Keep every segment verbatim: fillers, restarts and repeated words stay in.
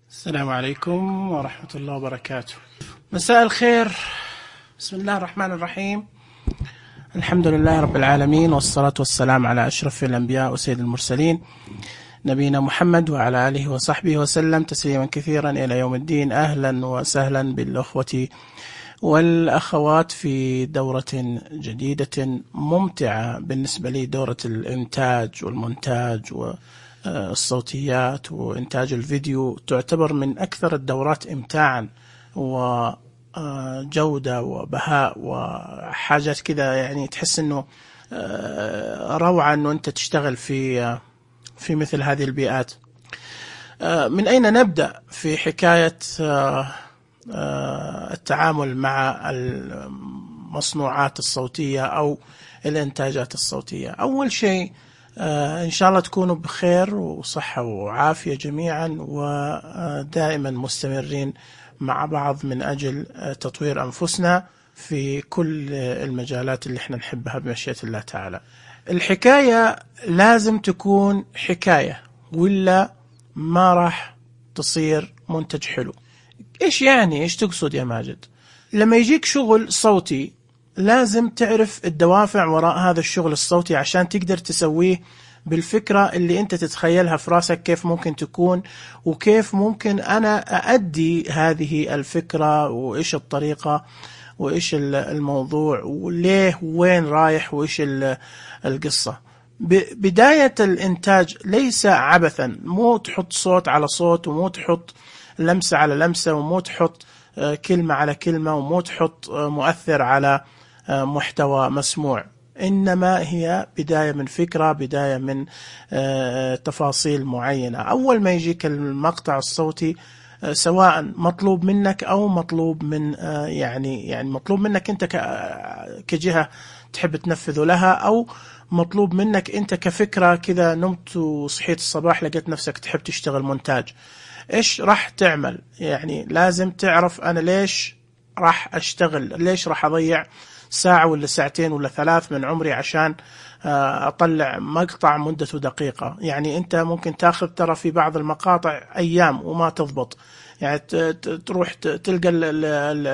السلام عليكم ورحمة الله وبركاته. مساء الخير. بسم الله الرحمن الرحيم. الحمد لله رب العالمين، والصلاة والسلام على أشرف الأنبياء وسيد المرسلين نبينا محمد وعلى آله وصحبه وسلم تسليما كثيرا إلى يوم الدين. أهلا وسهلا بالأخوة والأخوات في دورة جديدة ممتعة بالنسبة لي، دورة الإنتاج والمونتاج والصوتيات وإنتاج الفيديو. تعتبر من أكثر الدورات إمتاعا وجودة وبهاء وحاجات كذا، يعني تحس أنه روعة أنه أنت تشتغل في في مثل هذه البيئات. من أين نبدأ في حكاية التعامل مع المصنوعات الصوتية أو الإنتاجات الصوتية؟ أول شيء إن شاء الله تكونوا بخير وصحة وعافية جميعا، ودائما مستمرين مع بعض من أجل تطوير أنفسنا في كل المجالات اللي احنا نحبها بمشيئة الله تعالى. الحكاية لازم تكون حكاية، ولا ما راح تصير منتج حلو. إيش يعني؟ إيش تقصد يا ماجد؟ لما يجيك شغل صوتي لازم تعرف الدوافع وراء هذا الشغل الصوتي عشان تقدر تسويه بالفكرة اللي أنت تتخيلها في راسك، كيف ممكن تكون وكيف ممكن أنا أؤدي هذه الفكرة، وإيش الطريقة وإيش الموضوع وليه وين رايح وإيش القصة. بداية الإنتاج ليس عبثا، مو تحط صوت على صوت، ومو تحط لمسة على لمسة، ومو تحط كلمة على كلمة، ومو تحط مؤثر على محتوى مسموع. إنما هي بداية من فكرة، بداية من تفاصيل معينة. أول ما يجيك المقطع الصوتي، سواء مطلوب منك أو مطلوب من يعني يعني مطلوب منك أنت كجهة تحب تنفذه لها، أو مطلوب منك أنت كفكرة كذا، نمت وصحيت الصباح لقيت نفسك تحب تشتغل مونتاج. إيش راح تعمل؟ يعني لازم تعرف أنا ليش راح أشتغل، ليش راح أضيع ساعة ولا ساعتين ولا ثلاث من عمري عشان أطلع مقطع مدته دقيقة. يعني أنت ممكن تاخذ ترى في بعض المقاطع أيام وما تضبط، يعني تروح تلقى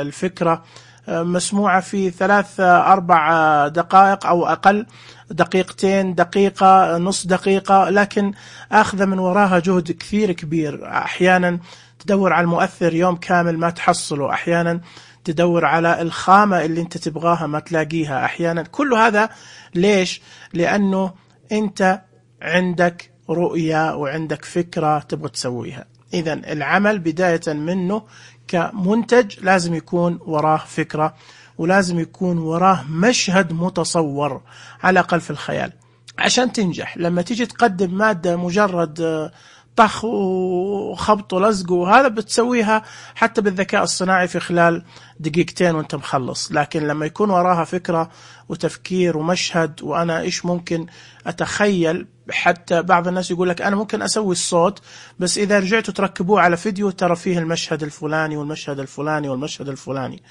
الفكرة مسموعة في ثلاث أربع دقائق أو أقل، دقيقتين، دقيقة، نص دقيقة، لكن أخذ من وراها جهد كثير كبير. أحيانا تدور على المؤثر يوم كامل ما تحصله، أحيانا تدور على الخامة اللي انت تبغاها ما تلاقيها، أحيانا. كل هذا ليش؟ لأنه انت عندك رؤية وعندك فكرة تبغى تسويها. إذن العمل بداية منه كمنتج لازم يكون وراه فكرة، ولازم يكون وراه مشهد متصور على الأقل في الخيال عشان تنجح. لما تيجي تقدم مادة مجرد طخ وخبط ولزق وهذا بتسويها حتى بالذكاء الصناعي في خلال دقيقتين وانت مخلص، لكن لما يكون وراها فكرة وتفكير ومشهد، وأنا إيش ممكن أتخيل. حتى بعض الناس يقول لك أنا ممكن أسوي الصوت، بس إذا رجعتوا تركبوه على فيديو ترى فيه المشهد الفلاني والمشهد الفلاني والمشهد الفلاني،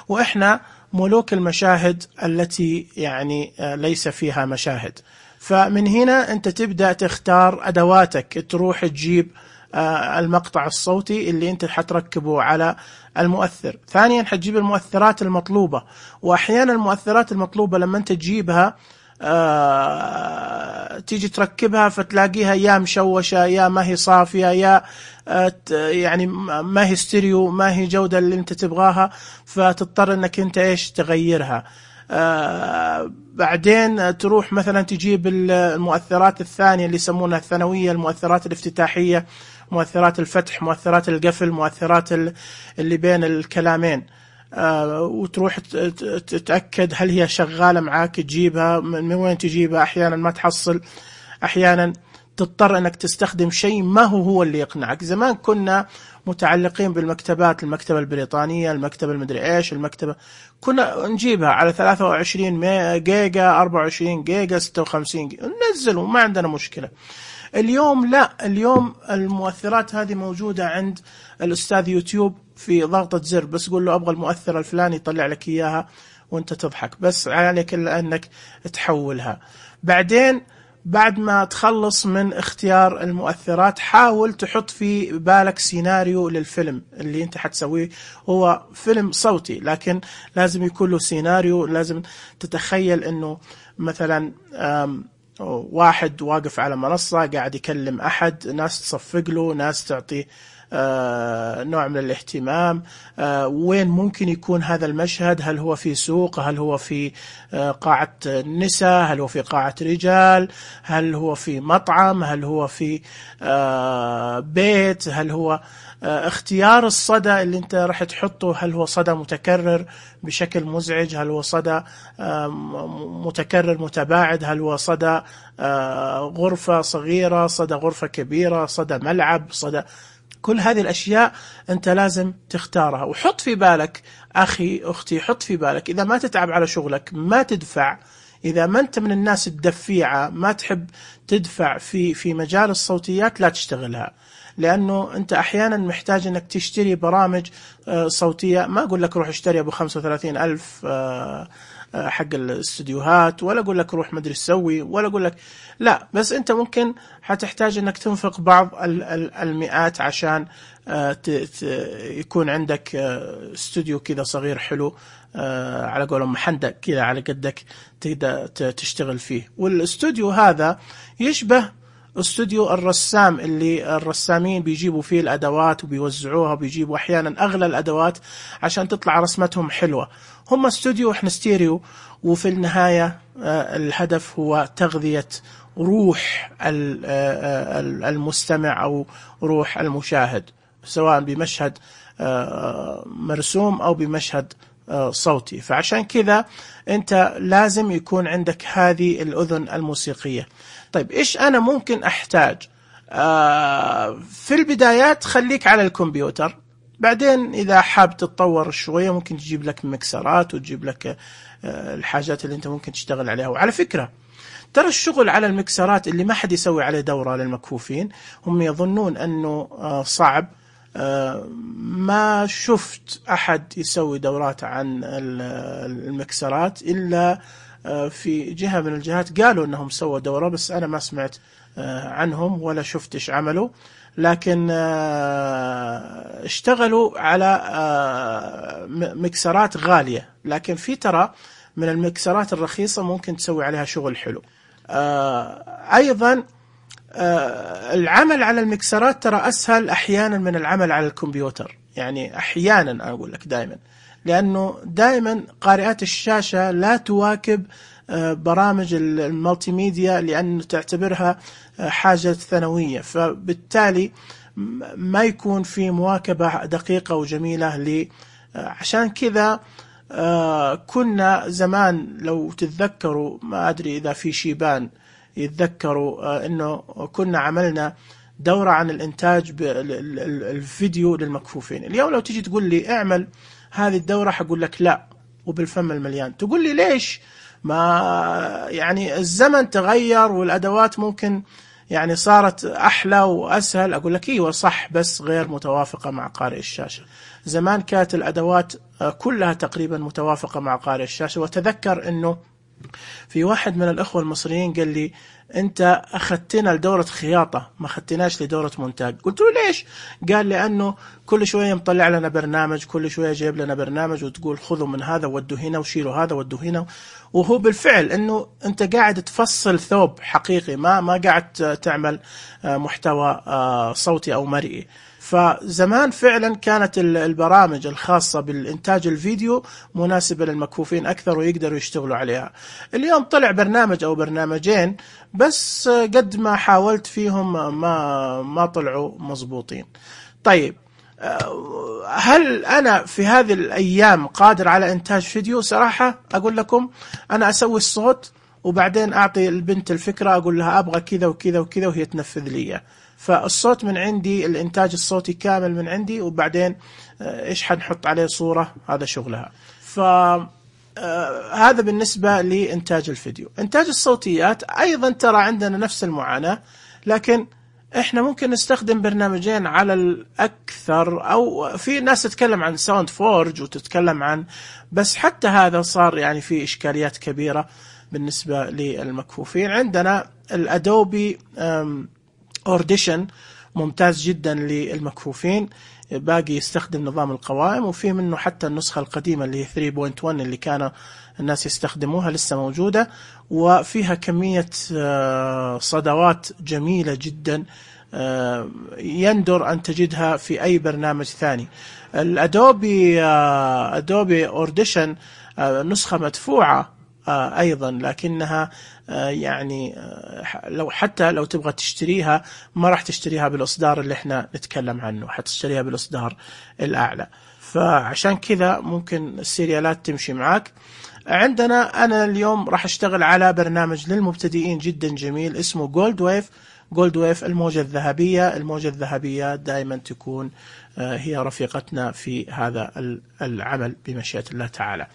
وإحنا ملوك المشاهد التي يعني ليس فيها مشاهد. فمن هنا أنت تبدأ تختار أدواتك، تروح تجيب المقطع الصوتي اللي أنت حتركبه على المؤثر. ثانيا حتجيب المؤثرات المطلوبة، وأحيانا المؤثرات المطلوبة لما أنت تجيبها آه، تيجي تركبها فتلاقيها يا مشوشة، يا ما هي صافية، يا آه، يعني ما هي ستيريو، ما هي جودة اللي أنت تبغاها، فتضطر أنك أنت إيش تغيرها. آه بعدين تروح مثلا تجيب المؤثرات الثانية اللي يسمونها الثانوية، المؤثرات الافتتاحية، مؤثرات الفتح، مؤثرات القفل، مؤثرات اللي بين الكلامين، آه وتروح تتأكد هل هي شغالة معاك، تجيبها من وين تجيبها. أحيانا ما تحصل، أحيانا تضطر أنك تستخدم شيء ما هو هو اللي يقنعك. زمان كنا متعلقين بالمكتبات، المكتبة البريطانية، المكتبة المدري إيش، المكتبة كنا نجيبها على ثلاثة وعشرين جيجا، أربعة وعشرين جيجا، ستة وخمسين جيجا، ننزله ما عندنا مشكلة. اليوم لا، اليوم المؤثرات هذه موجودة عند الأستاذ يوتيوب في ضغطة زر، بس قول له أبغى المؤثر الفلاني يطلع لك إياها وانت تضحك، بس عليك إلا أنك تحولها. بعدين بعد ما تخلص من اختيار المؤثرات حاول تحط في بالك سيناريو للفيلم اللي انت حتسويه. هو فيلم صوتي لكن لازم يكون له سيناريو. لازم تتخيل انه مثلا واحد واقف على منصة قاعد يكلم أحد، ناس تصفق له، ناس تعطي آه نوع من الاهتمام. آه وين ممكن يكون هذا المشهد؟ هل هو في سوق؟ هل هو في آه قاعة نساء؟ هل هو في قاعة رجال؟ هل هو في مطعم؟ هل هو في آه بيت؟ هل هو آه اختيار الصدى اللي انت راح تحطه، هل هو صدى متكرر بشكل مزعج؟ هل هو صدى آه متكرر متباعد؟ هل هو صدى آه غرفة صغيرة، صدى غرفة كبيرة، صدى ملعب، صدى؟ كل هذه الأشياء أنت لازم تختارها. وحط في بالك أخي أختي، حط في بالك إذا ما تتعب على شغلك ما تدفع، إذا ما أنت من الناس الدفيعة ما تحب تدفع في في مجال الصوتيات لا تشتغلها، لأنه أنت أحيانا محتاج أنك تشتري برامج صوتية. ما أقول لك روح اشتري أبو خمسة وثلاثين ألف حق الاستديوهات، ولا أقول لك روح مدري سوي، ولا أقول لك لا، بس أنت ممكن حتحتاج أنك تنفق بعض المئات عشان يكون عندك استوديو كذا صغير حلو على قولهم محندق كذا على قدك تقدر تشتغل فيه. والاستوديو هذا يشبه استوديو الرسام اللي الرسامين بيجيبوا فيه الأدوات وبيوزعوها، وبيجيبوا أحيانا أغلى الأدوات عشان تطلع رسمتهم حلوة. هم استوديو وإحنا ستيريو، وفي النهاية الهدف هو تغذية روح المستمع أو روح المشاهد، سواء بمشهد مرسوم أو بمشهد صوتي. فعشان كذا أنت لازم يكون عندك هذه الأذن الموسيقية. طيب إيش أنا ممكن أحتاج؟ آه في البدايات خليك على الكمبيوتر، بعدين إذا حاب تتطور شوية ممكن تجيب لك مكسرات وتجيب لك آه الحاجات اللي أنت ممكن تشتغل عليها. وعلى فكرة ترى الشغل على المكسرات اللي ما حد يسوي عليه دورة للمكفوفين هم يظنون أنه آه صعب. آه ما شفت أحد يسوي دورات عن المكسرات إلا في جهة من الجهات قالوا أنهم سووا دورة، بس أنا ما سمعت عنهم ولا شفت إيش عملوا، لكن اشتغلوا على مكسرات غالية. لكن في ترى من المكسرات الرخيصة ممكن تسوي عليها شغل حلو. أيضا العمل على المكسرات ترى أسهل أحيانا من العمل على الكمبيوتر، يعني أحيانا أقول لك دائما، لأنه دائما قارئات الشاشة لا تواكب برامج المالتي ميديا لأن تعتبرها حاجة ثانوية، فبالتالي ما يكون في مواكبة دقيقة وجميلة ل عشان كذا كنا زمان لو تتذكروا، ما أدري إذا في شيبان يتذكروا، أنه كنا عملنا دورة عن الإنتاج بالفيديو للمكفوفين. اليوم لو تيجي تقول لي اعمل هذه الدورة حقول لك لا وبالفم المليان. تقول لي ليش؟ ما يعني الزمن تغير والأدوات ممكن يعني صارت أحلى وأسهل. أقول لك إيوه صح، بس غير متوافقة مع قارئ الشاشة. زمان كانت الأدوات كلها تقريبا متوافقة مع قارئ الشاشة. وتذكر أنه في واحد من الأخوة المصريين قال لي أنت أخذتنا لدورة خياطة ما أخذتناش لدورة مونتاج. قلت له ليش؟ قال لأنه كل شوية مطلع لنا برنامج، كل شوية جايب لنا برنامج وتقول خذوا من هذا ودوا هنا وشيلوا هذا ودوا هنا. وهو بالفعل أنه أنت قاعد تفصل ثوب حقيقي، ما ما قاعد تعمل محتوى صوتي أو مرئي. فزمان فعلا كانت البرامج الخاصة بالإنتاج الفيديو مناسبة للمكفوفين أكثر ويقدروا يشتغلوا عليها. اليوم طلع برنامج أو برنامجين بس قد ما حاولت فيهم ما ما طلعوا مضبوطين. طيب هل أنا في هذه الأيام قادر على إنتاج فيديو؟ صراحة أقول لكم أنا أسوي الصوت وبعدين أعطي البنت الفكرة، أقول لها أبغى كذا وكذا وكذا وهي تنفذ لي. فالصوت من عندي، الإنتاج الصوتي كامل من عندي، وبعدين إيش حنحط عليه صورة هذا شغلها. فهذا بالنسبة لإنتاج الفيديو. إنتاج الصوتيات أيضا ترى عندنا نفس المعاناة، لكن إحنا ممكن نستخدم برنامجين على الأكثر، أو في ناس تتكلم عن ساوند فورج وتتكلم عن، بس حتى هذا صار يعني في إشكاليات كبيرة. بالنسبة للمكفوفين. عندنا الأدوبي أورديشن ممتاز جدا للمكفوفين، باقي يستخدم نظام القوائم، وفي منه حتى النسخة القديمة اللي هي ثري بوينت ون اللي كان الناس يستخدموها لسه موجودة، وفيها كمية صدوات جميلة جدا يندر أن تجدها في أي برنامج ثاني. الأدوبي أدوبي أورديشن نسخة مدفوعة أيضا، لكنها يعني لو حتى لو تبغى تشتريها ما راح تشتريها بالإصدار اللي احنا نتكلم عنه، حتشتريها بالإصدار الأعلى، فعشان كذا ممكن السيريالات تمشي معاك. عندنا أنا اليوم راح أشتغل على برنامج للمبتدئين جدا جميل اسمه جولد ويف. جولد ويف الموجة الذهبية. الموجة الذهبية دائما تكون هي رفيقتنا في هذا العمل بمشيئة الله تعالى.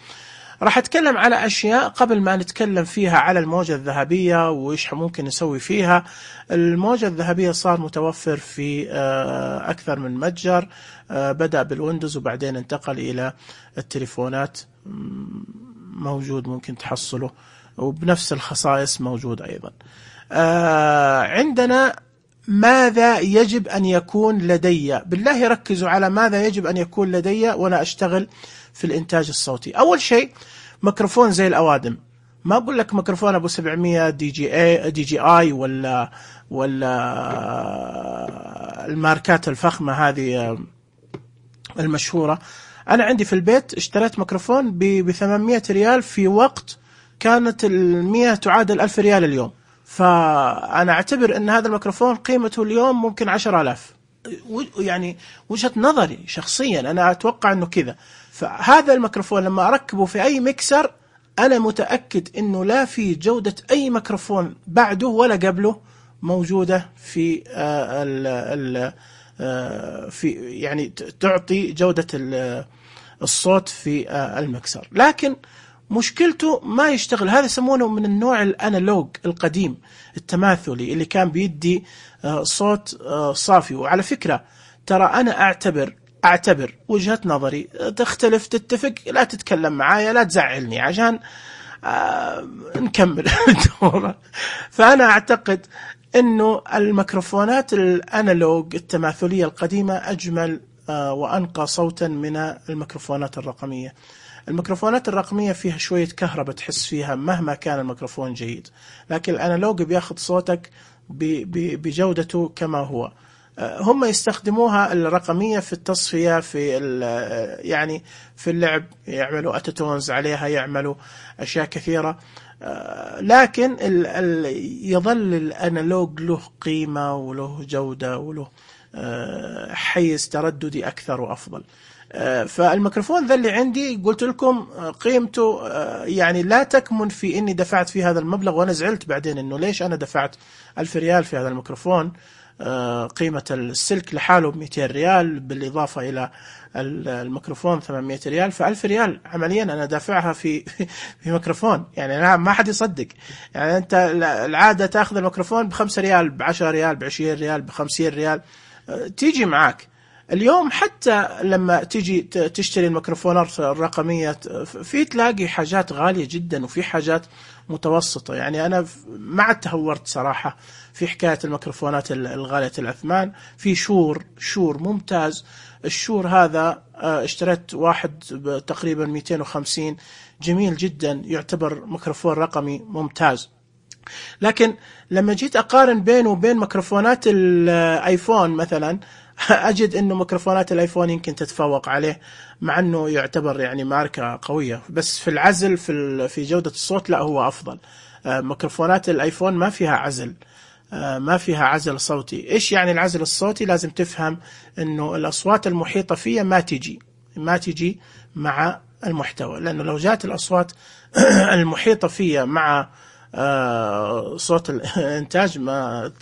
راح أتكلم على أشياء قبل ما نتكلم فيها على الموجة الذهبية وإيش ممكن نسوي فيها. الموجة الذهبية صار متوفر في أكثر من متجر، بدأ بالويندوز وبعدين انتقل إلى التليفونات، موجود ممكن تحصله، وبنفس الخصائص موجود أيضا. عندنا ماذا يجب أن يكون لدي؟ بالله ركزوا على ماذا يجب أن يكون لدي وأنا أشتغل في الإنتاج الصوتي. أول شيء ميكروفون زي الأوادم، ما أقول لك ميكروفون أبو سبعمية دي جي اي دي جي اي ولا ولا الماركات الفخمة هذه المشهورة. أنا عندي في البيت اشتريت ميكروفون ب ثمانمية ريال في وقت كانت المية تعادل ألف ريال اليوم، فأنا أعتبر أن هذا الميكروفون قيمته اليوم ممكن عشر آلاف، يعني وجهة نظري شخصيا أنا أتوقع أنه كذا. فهذا الميكروفون لما أركبه في أي ميكسر أنا متأكد أنه لا في جودة أي ميكروفون بعده ولا قبله موجودة في ال ال في يعني تعطي جودة الصوت في الميكسر، لكن مشكلته ما يشتغل. هذا يسمونه من النوع الانالوج القديم التماثلي اللي كان بيدي صوت صافي. وعلى فكرة ترى أنا أعتبر أعتبر وجهة نظري، تختلف تتفق لا تتكلم معايا لا تزعلني عشان آه نكمل الدورة. فأنا أعتقد إنه الميكروفونات الانالوج التماثلية القديمة أجمل آه وأنقى صوتا من الميكروفونات الرقمية. الميكروفونات الرقمية فيها شوية كهرباء تحس فيها مهما كان الميكروفون جيد، لكن الانالوج بياخذ صوتك بجودته كما هو. هم يستخدموها الرقمية في التصفية، في يعني في اللعب يعملوا أتتونز عليها، يعملوا أشياء كثيرة، لكن ال ال يظل الانالوج له قيمة وله جودة وله حيز ترددي أكثر وأفضل. فالميكروفون ذا اللي عندي قلت لكم قيمته يعني لا تكمن في إني دفعت في هذا المبلغ، وأنا زعلت بعدين إنه ليش أنا دفعت ألف ريال في هذا الميكروفون. قيمة السلك لحاله بمئتين ريال بالإضافة إلى الميكروفون ثمانمية ريال، فألف ريال عمليا أنا دافعها في في ميكروفون. يعني أنا ما حد يصدق، يعني أنت العادة تأخذ الميكروفون بخمسة ريال بعشرة ريال بعشرين ريال بخمسين ريال تيجي معك. اليوم حتى لما تيجي تشتري الميكروفونات الرقمية في تلاقي حاجات غالية جدا وفي حاجات متوسطة. يعني أنا ما عاد تهورت صراحة في حكاية الميكروفونات الغالية الأثمان. في شور شور ممتاز، الشور هذا اشتريت واحد تقريبا مئتين وخمسين، جميل جدا، يعتبر ميكروفون رقمي ممتاز. لكن لما جيت أقارن بينه وبين ميكروفونات الآيفون مثلا أجد إنه ميكروفونات الآيفون يمكن تتفوق عليه، مع إنه يعتبر يعني ماركة قوية، بس في العزل في في جودة الصوت لا هو أفضل. ميكروفونات الآيفون ما فيها عزل، ما فيها عزل صوتي. إيش يعني العزل الصوتي؟ لازم تفهم إنه الأصوات المحيطة فيها ما تجي ما تجي مع المحتوى، لأنه لو جات الأصوات المحيطة فيها مع صوت الإنتاج ما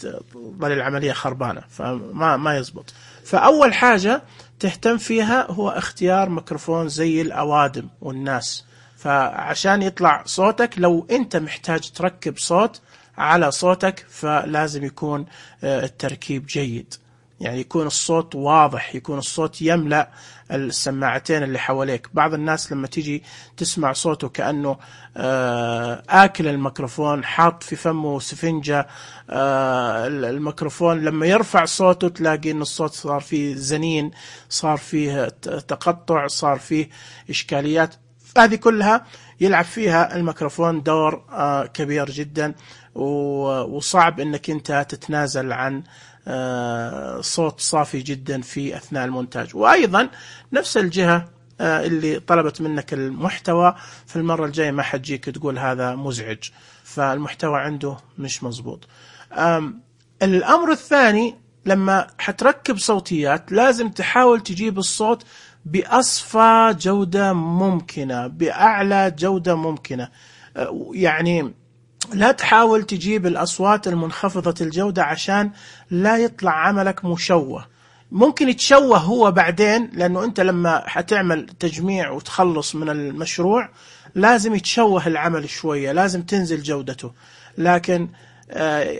ظل العملية خربانة، فما ما يزبط. فأول حاجة تهتم فيها هو اختيار ميكروفون زي الأوادم والناس، فعشان يطلع صوتك لو أنت محتاج تركب صوت على صوتك فلازم يكون التركيب جيد. يعني يكون الصوت واضح، يكون الصوت يملأ السماعتين اللي حواليك. بعض الناس لما تيجي تسمع صوته كأنه آكل الميكروفون، حاط في فمه سفنجة الميكروفون، لما يرفع صوته تلاقي إن الصوت صار فيه زنين، صار فيه تقطع، صار فيه إشكاليات. هذه كلها يلعب فيها الميكروفون دور كبير جدا، وصعب إنك أنت تتنازل عن صوت صافي جدا في أثناء المونتاج. وأيضا نفس الجهة اللي طلبت منك المحتوى، في المرة الجاية ما حتجيك تقول هذا مزعج، فالمحتوى عنده مش مزبوط. الأمر الثاني، لما حتركب صوتيات لازم تحاول تجيب الصوت بأصفى جودة ممكنة، بأعلى جودة ممكنة. يعني لا تحاول تجيب الأصوات المنخفضة الجودة عشان لا يطلع عملك مشوه. ممكن يتشوه هو بعدين، لأنه أنت لما حتعمل تجميع وتخلص من المشروع لازم يتشوه العمل شوية، لازم تنزل جودته. لكن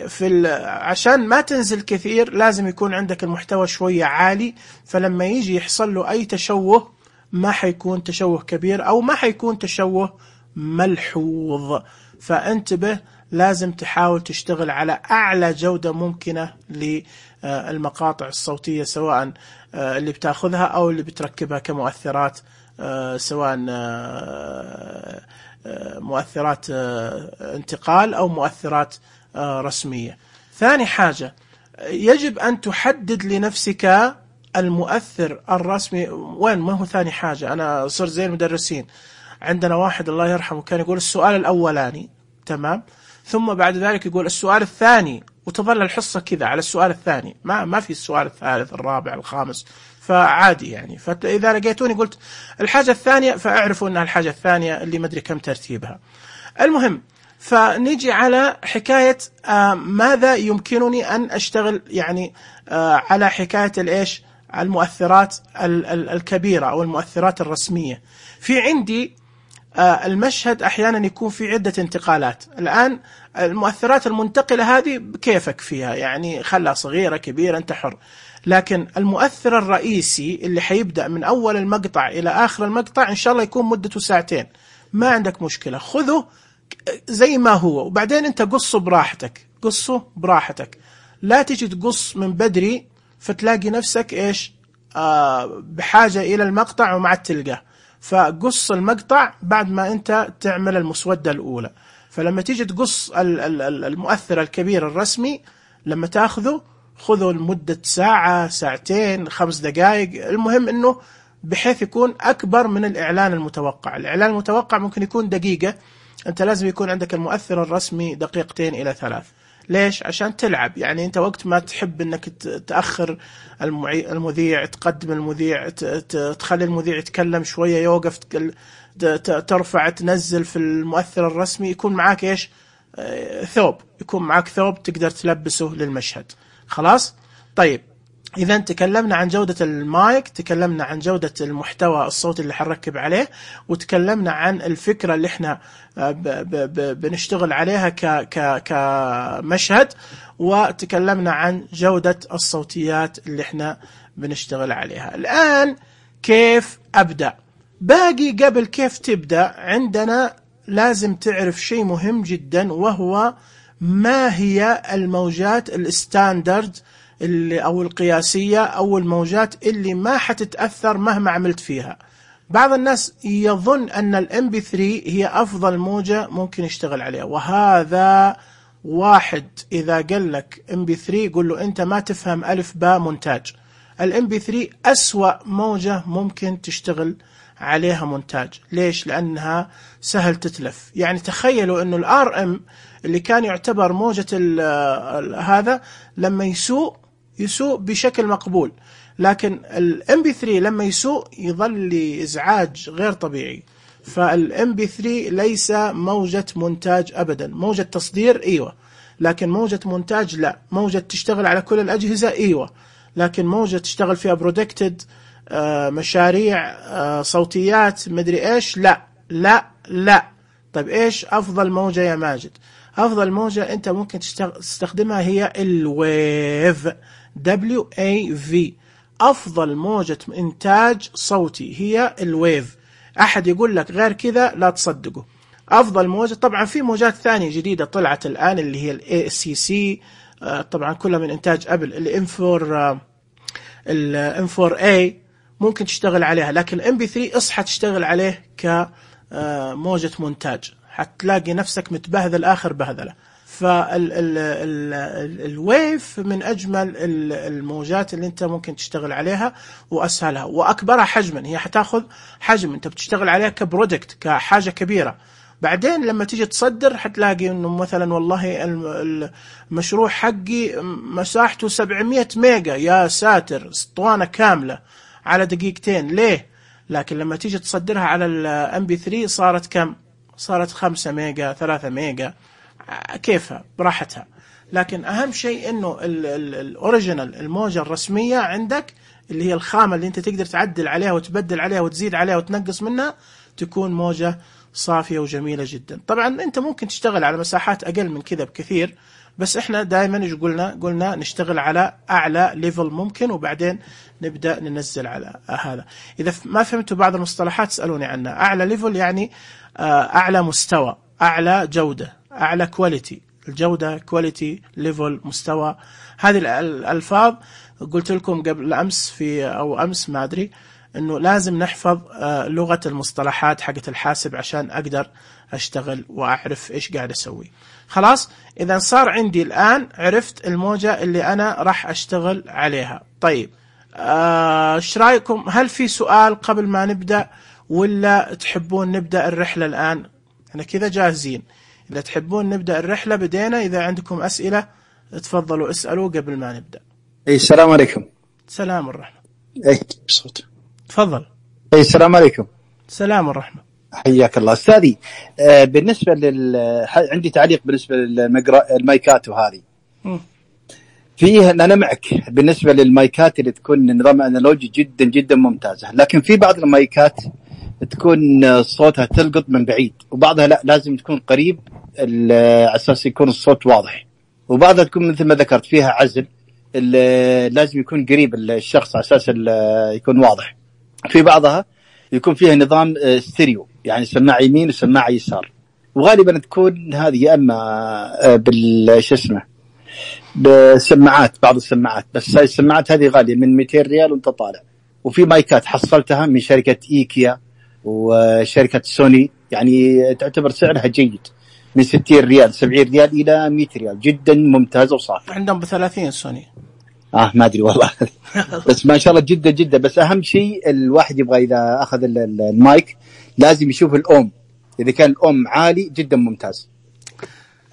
في عشان ما تنزل كثير لازم يكون عندك المحتوى شوية عالي، فلما يجي يحصل له أي تشوه ما حيكون تشوه كبير أو ما حيكون تشوه ملحوظ. فانتبه، لازم تحاول تشتغل على أعلى جودة ممكنة للمقاطع الصوتية، سواء اللي بتاخذها أو اللي بتركبها كمؤثرات، سواء مؤثرات انتقال أو مؤثرات رسمية. ثاني حاجة، يجب أن تحدد لنفسك المؤثر الرسمي وين. ما هو ثاني حاجة، أنا صرت زي المدرسين، عندنا واحد الله يرحمه كان يقول السؤال الأولاني تمام، ثم بعد ذلك يقول السؤال الثاني، وتظل الحصة كذا على السؤال الثاني، ما ما في السؤال الثالث الرابع الخامس، فعادي يعني. فإذا لقيتوني قلت الحاجة الثانية فاعرفوا أنها الحاجة الثانية اللي مدري كم ترتيبها. المهم، فنيجي على حكاية آه ماذا يمكنني أن أشتغل يعني آه على حكاية الإيش، المؤثرات ال ال الكبيرة أو المؤثرات الرسمية. في عندي آه المشهد أحيانا يكون في عدة انتقالات. الآن المؤثرات المنتقلة هذه بكيفك فيها، يعني خلها صغيرة كبيرة أنت حر. لكن المؤثر الرئيسي اللي حيبدأ من أول المقطع إلى آخر المقطع إن شاء الله يكون مدته ساعتين، ما عندك مشكلة، خذه زي ما هو، وبعدين أنت قصه براحتك، قصه براحتك. لا تيجي تقص من بدري فتلاقي نفسك إيش آه بحاجة إلى المقطع وما عاد تلقاه. فقص المقطع بعد ما أنت تعمل المسودة الأولى. فلما تيجي تقص المؤثر الكبير الرسمي، لما تأخذه خذه لمدة ساعة، ساعتين، خمس دقائق، المهم أنه بحيث يكون أكبر من الإعلان المتوقع. الإعلان المتوقع ممكن يكون دقيقة، أنت لازم يكون عندك المؤثر الرسمي دقيقتين إلى ثلاث. ليش؟ عشان تلعب. يعني أنت وقت ما تحب أنك تأخر المذيع، تقدم المذيع، تخلي المذيع يتكلم شوية، يوقف، ترفع، تنزل في المؤثر الرسمي، يكون معاك إيش؟ ثوب، يكون معاك ثوب تقدر تلبسه للمشهد. خلاص؟ طيب، إذا تكلمنا عن جودة المايك، تكلمنا عن جودة المحتوى الصوتي اللي حنركب عليه، وتكلمنا عن الفكرة اللي احنا بنشتغل عليها كمشهد، وتكلمنا عن جودة الصوتيات اللي احنا بنشتغل عليها. الآن كيف أبدأ؟ باقي قبل كيف تبدأ عندنا لازم تعرف شيء مهم جدا، وهو ما هي الموجات الستاندرد اللي أو القياسية أو الموجات اللي ما حتتأثر مهما عملت فيها. بعض الناس يظن أن الام بي ثري هي أفضل موجة ممكن يشتغل عليها، وهذا واحد إذا قال لك ام بي ثري قل له أنت ما تفهم ألف باء مونتاج. الام بي ثري أسوأ موجة ممكن تشتغل عليها مونتاج. ليش؟ لأنها سهل تتلف. يعني تخيلوا أنه الار ام اللي كان يعتبر موجة ال ال هذا لما يسوء يسوء بشكل مقبول، لكن الام بي ثري لما يسوء يظل إزعاج غير طبيعي. فالام بي ثري ليس موجة مونتاج أبدا. موجة تصدير أيوة، لكن موجة مونتاج لا. موجة تشتغل على كل الأجهزة أيوة، لكن موجة تشتغل فيها برودكتد مشاريع صوتيات مدري إيش لا لا لا. طيب إيش أفضل موجة يا ماجد؟ أفضل موجة أنت ممكن تستخدمها هي الويف. دبليو إيه في. أفضل موجة إنتاج صوتي هي الويف. أحد يقول لك غير كذا لا تصدقه. أفضل موجة، طبعا في موجات ثانية جديدة طلعت الآن اللي هي ال إيه سي سي، طبعا كلها من إنتاج أبل. ال إم فور ال إم فور إيه ممكن تشتغل عليها، لكن ال إم بي ثري اصحى تشتغل عليه كموجة مونتاج، حتلاقي نفسك متبهذل آخر بهذلة. فالويف من أجمل الموجات اللي أنت ممكن تشتغل عليها وأسهلها وأكبرها حجما. هي حتاخذ حجم أنت بتشتغل عليها كبرودكت، كحاجة كبيرة. بعدين لما تيجي تصدر حتلاقي إنه مثلا والله المشروع حقي مساحته سبعمية ميجا، يا ساتر، اسطوانة كاملة على دقيقتين. ليه؟ لكن لما تيجي تصدرها على ال إم بي ثري صارت كم؟ صارت خمسة ميجا، ثلاثة ميجا، كيفها براحتها. لكن أهم شيء إنه الأوريجينال، الموجة الرسمية عندك اللي هي الخامة اللي أنت تقدر تعدل عليها وتبدل عليها وتزيد عليها وتنقص منها، تكون موجة صافية وجميلة جدا. طبعا أنت ممكن تشتغل على مساحات أقل من كذا بكثير، بس إحنا دائما إيش قلنا؟ قلنا نشتغل على أعلى ليفل ممكن، وبعدين نبدأ ننزل على هذا. إذا ما فهمتوا بعض المصطلحات اسألوني عنها. أعلى ليفل يعني أعلى مستوى، أعلى جودة، أعلى كواليتي. الجودة كواليتي ليفل مستوى، هذه الألفاظ قلت لكم قبل أمس في أو أمس ما أدري إنه لازم نحفظ لغة المصطلحات حقت الحاسب عشان أقدر أشتغل وأعرف إيش قاعد أسوي. خلاص، إذا صار عندي الآن عرفت الموجة اللي أنا راح أشتغل عليها. طيب إيش رأيكم؟ هل في سؤال قبل ما نبدأ ولا تحبون نبدأ الرحلة الآن؟ أنا كذا جاهزين. إذا تحبون نبدأ الرحلة بدينا. إذا عندكم أسئلة تفضلوا اسألوا قبل ما نبدأ. أي السلام عليكم. سلام الرحمة. أي بصوت. تفضل. أي السلام عليكم. سلام الرحمة. حياك الله أستاذي. آه بالنسبة لل عندي تعليق بالنسبة للمايكات وهذه. م. فيه أنا معك بالنسبة للمايكات اللي تكون نظام أنالوجي جدا جدا ممتازة، لكن في بعض المايكات تكون صوتها تلقط من بعيد، وبعضها لا لازم تكون قريب على أساس يكون الصوت واضح، وبعضها تكون مثل ما ذكرت فيها عزل لازم يكون قريب الشخص على أساس يكون واضح. في بعضها يكون فيها نظام ستيريو، يعني سماعة يمين وسماعة يسار، وغالبا تكون هذه يا أما بالش اسمه بسماعات، بعض السماعات، بس هاي السماعات هذه غالية من مئتين ريال وانت طالع. وفي مايكات حصلتها من شركة إيكيا وشركة سوني، يعني تعتبر سعرها جيد، من ستين ريال سبعين ريال إلى مئة ريال، جدا ممتازة وصافية. عندهم بثلاثين سوني. آه ما أدري والله بس ما شاء الله جدا جدا. بس أهم شيء الواحد يبغى إذا أخذ المايك لازم يشوف الأم، إذا كان الأم عالي جدا ممتاز.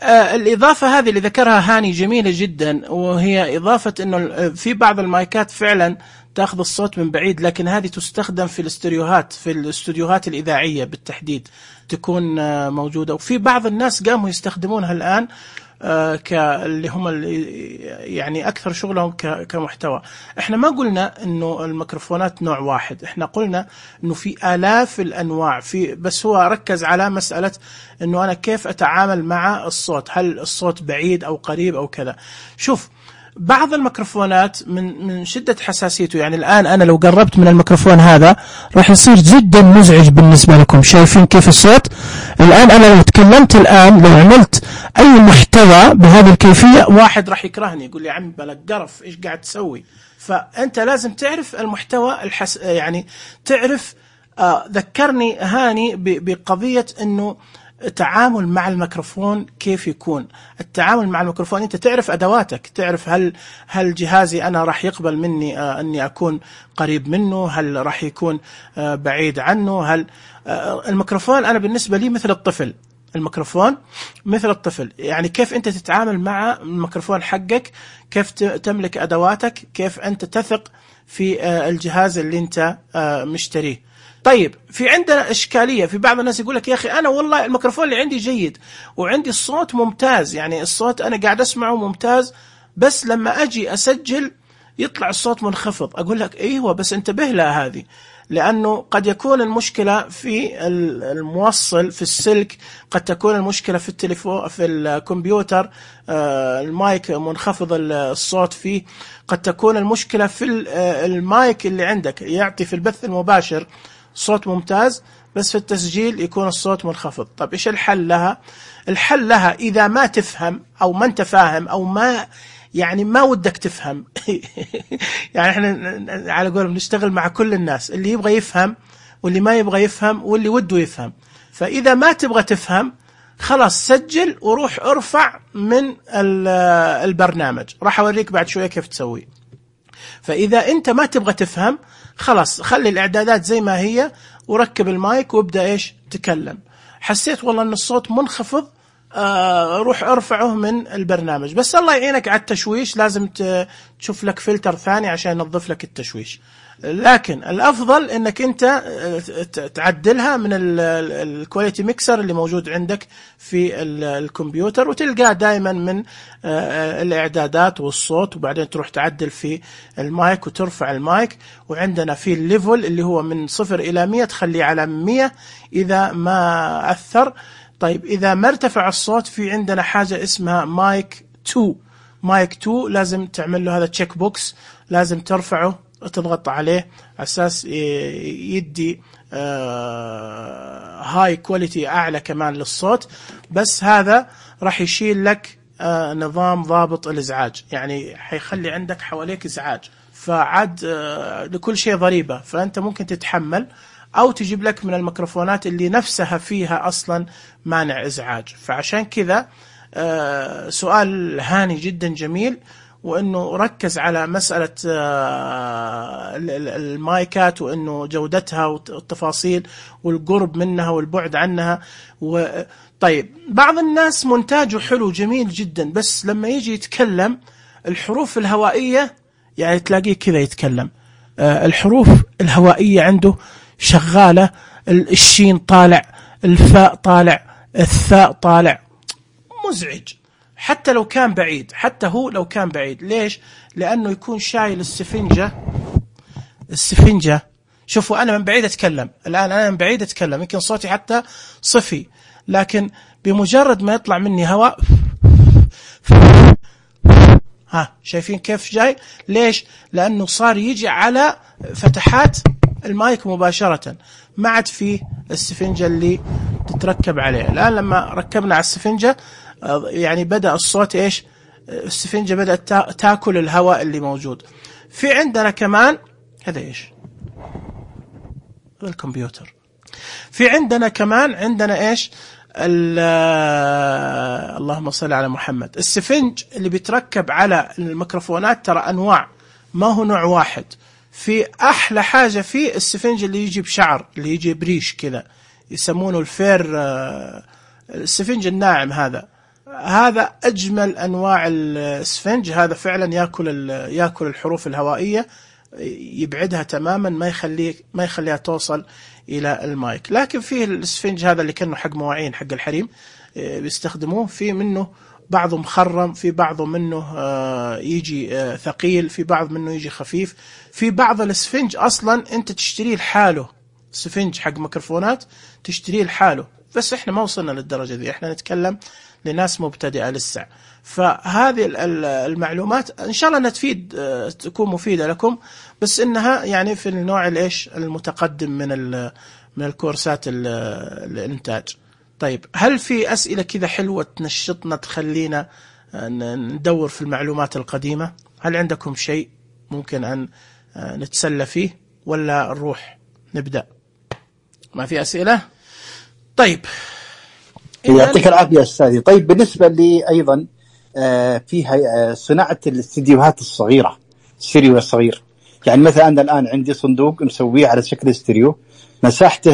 آه الإضافة هذه اللي ذكرها هاني جميلة جدا، وهي إضافة إنه في بعض المايكات فعلا تأخذ الصوت من بعيد، لكن هذه تستخدم في الاستوديوهات، في الاستوديوهات الإذاعية بالتحديد تكون آه موجودة. وفي بعض الناس قاموا يستخدمونها الآن آه كاللي هم اللي يعني أكثر شغلهم كمحتوى. إحنا ما قلنا إنه الميكروفونات نوع واحد، إحنا قلنا إنه في آلاف الأنواع، في بس هو ركز على مسألة إنه أنا كيف أتعامل مع الصوت، هل الصوت بعيد أو قريب أو كذا. شوف، بعض الميكروفونات من من شدة حساسيته، يعني الآن أنا لو قربت من الميكروفون هذا راح يصير جدا مزعج بالنسبة لكم. شايفين كيف الصوت الآن؟ أنا لو تكلمت الآن، لو عملت أي محتوى بهذه الكيفية، واحد راح يكرهني يقول لي يا عم بلك قرف إيش قاعد تسوي. فأنت لازم تعرف المحتوى الحس... يعني تعرف. آه ذكرني هاني ب... بقضية إنه التعامل مع الميكروفون كيف يكون. التعامل مع الميكروفون أنت تعرف أدواتك، تعرف هل هل جهازي أنا راح يقبل مني آه أني أكون قريب منه، هل راح يكون آه بعيد عنه، هل آه الميكروفون أنا بالنسبة لي مثل الطفل. الميكروفون مثل الطفل، يعني كيف أنت تتعامل مع الميكروفون حقك، كيف تملك أدواتك، كيف أنت تثق في آه الجهاز اللي أنت آه مشتريه. طيب، في عندنا إشكالية، في بعض الناس يقول لك يا أخي أنا والله الميكروفون اللي عندي جيد وعندي الصوت ممتاز، يعني الصوت أنا قاعد أسمعه ممتاز، بس لما أجي أسجل يطلع الصوت منخفض. أقول لك أيوة بس انتبه لها هذه، لأنه قد يكون المشكلة في الموصل في السلك، قد تكون المشكلة في التليفون في الكمبيوتر المايك منخفض الصوت فيه، قد تكون المشكلة في المايك اللي عندك يعطي في البث المباشر صوت ممتاز بس في التسجيل يكون الصوت منخفض. طب إيش الحل لها؟ الحل لها إذا ما تفهم أو ما أنت فاهم أو ما يعني ما ودك تفهم يعني احنا على قولهم نشتغل مع كل الناس، اللي يبغى يفهم واللي ما يبغى يفهم واللي وده يفهم. فإذا ما تبغى تفهم خلاص سجل وروح ارفع من البرنامج، راح أوريك بعد شوية كيف تسوي. فإذا أنت ما تبغى تفهم خلاص خلي الإعدادات زي ما هي وركب المايك وابدأ إيش تكلم. حسيت والله أن الصوت منخفض، آه روح ارفعه من البرنامج. بس الله يعينك على التشويش، لازم تشوف لك فلتر ثاني عشان ينظف لك التشويش. لكن الأفضل أنك أنت تعدلها من الكواليتي ميكسر اللي موجود عندك في الكمبيوتر، وتلقاه دائما من الإعدادات والصوت، وبعدين تروح تعدل في المايك وترفع المايك. وعندنا في الليفل اللي هو من صفر إلى مية تخليه على مية إذا ما أثر. طيب إذا ما ارتفع الصوت في عندنا حاجة اسمها مايك تو. مايك تو لازم تعمل له هذا تشيك بوكس، لازم ترفعه وتضغط عليه على أساس يدي هاي كواليتي أعلى كمان للصوت. بس هذا راح يشيل لك نظام ضابط الإزعاج، يعني حيخلي عندك حواليك إزعاج، فعاد لكل شيء ضريبة. فأنت ممكن تتحمل أو تجيب لك من الميكروفونات اللي نفسها فيها أصلا مانع إزعاج. فعشان كذا سؤال هاني جدا جميل، وأنه ركز على مسألة المايكات وأنه جودتها والتفاصيل والقرب منها والبعد عنها. طيب بعض الناس مونتاجه حلو جميل جدا، بس لما يجي يتكلم الحروف الهوائية يعني تلاقيه كذا يتكلم الحروف الهوائية عنده شغالة، الشين طالع، الفاء طالع، الثاء طالع، مزعج. حتى لو كان بعيد، حتى هو لو كان بعيد. ليش؟ لأنه يكون شايل السفنجة. السفنجة شوفوا أنا من بعيد أتكلم الآن، أنا من بعيد أتكلم يمكن صوتي حتى صفي، لكن بمجرد ما يطلع مني هواء ها شايفين كيف جاي؟ ليش؟ لأنه صار يجي على فتحات المايك مباشرة، ما عاد فيه السفنجة اللي تتركب عليه. الآن لما ركبنا على السفنجة يعني بدأ الصوت إيش؟ السفنجة بدأت تأكل الهواء اللي موجود. في عندنا كمان هذا إيش؟ الكمبيوتر. في عندنا كمان عندنا إيش؟ اللهم صل على محمد. السفنج اللي بيتركب على الميكروفونات ترى أنواع، ما هو نوع واحد. في أحلى حاجة فيه السفنج اللي يجي بشعر، اللي يجي بريش كذا، يسمونه الفير، السفنج الناعم هذا. هذا أجمل أنواع السفنج. هذا فعلا يأكل يأكل الحروف الهوائية، يبعدها تماما، ما يخليه ما يخليها توصل إلى المايك. لكن فيه السفنج هذا اللي كأنه حق مواعين حق الحريم بيستخدموه، في منه بعضه مخرم، في بعضه منه يجي ثقيل، في بعض منه يجي خفيف. في بعض السفنج أصلا أنت تشتريه لحاله، سفنج حق ميكروفونات تشتريه لحاله. بس إحنا ما وصلنا للدرجة دي، إحنا نتكلم لناس مبتدئة لسه. فهذه المعلومات إن شاء الله أنها تفيد، تكون مفيدة لكم، بس إنها يعني في النوع الإيش المتقدم من من الكورسات الإنتاج. طيب هل في أسئلة كذا حلوة تنشطنا تخلينا ندور في المعلومات القديمة؟ هل عندكم شيء ممكن أن نتسلى فيه ولا نروح نبدأ؟ ما في أسئلة؟ طيب يعطيك العافية أستاذي. طيب بالنسبة لي أيضا فيها صناعة الاستديوهات الصغيرة، الستيريو الصغير. يعني مثلا أنا الآن عندي صندوق مسويه على شكل ستيريو، مساحته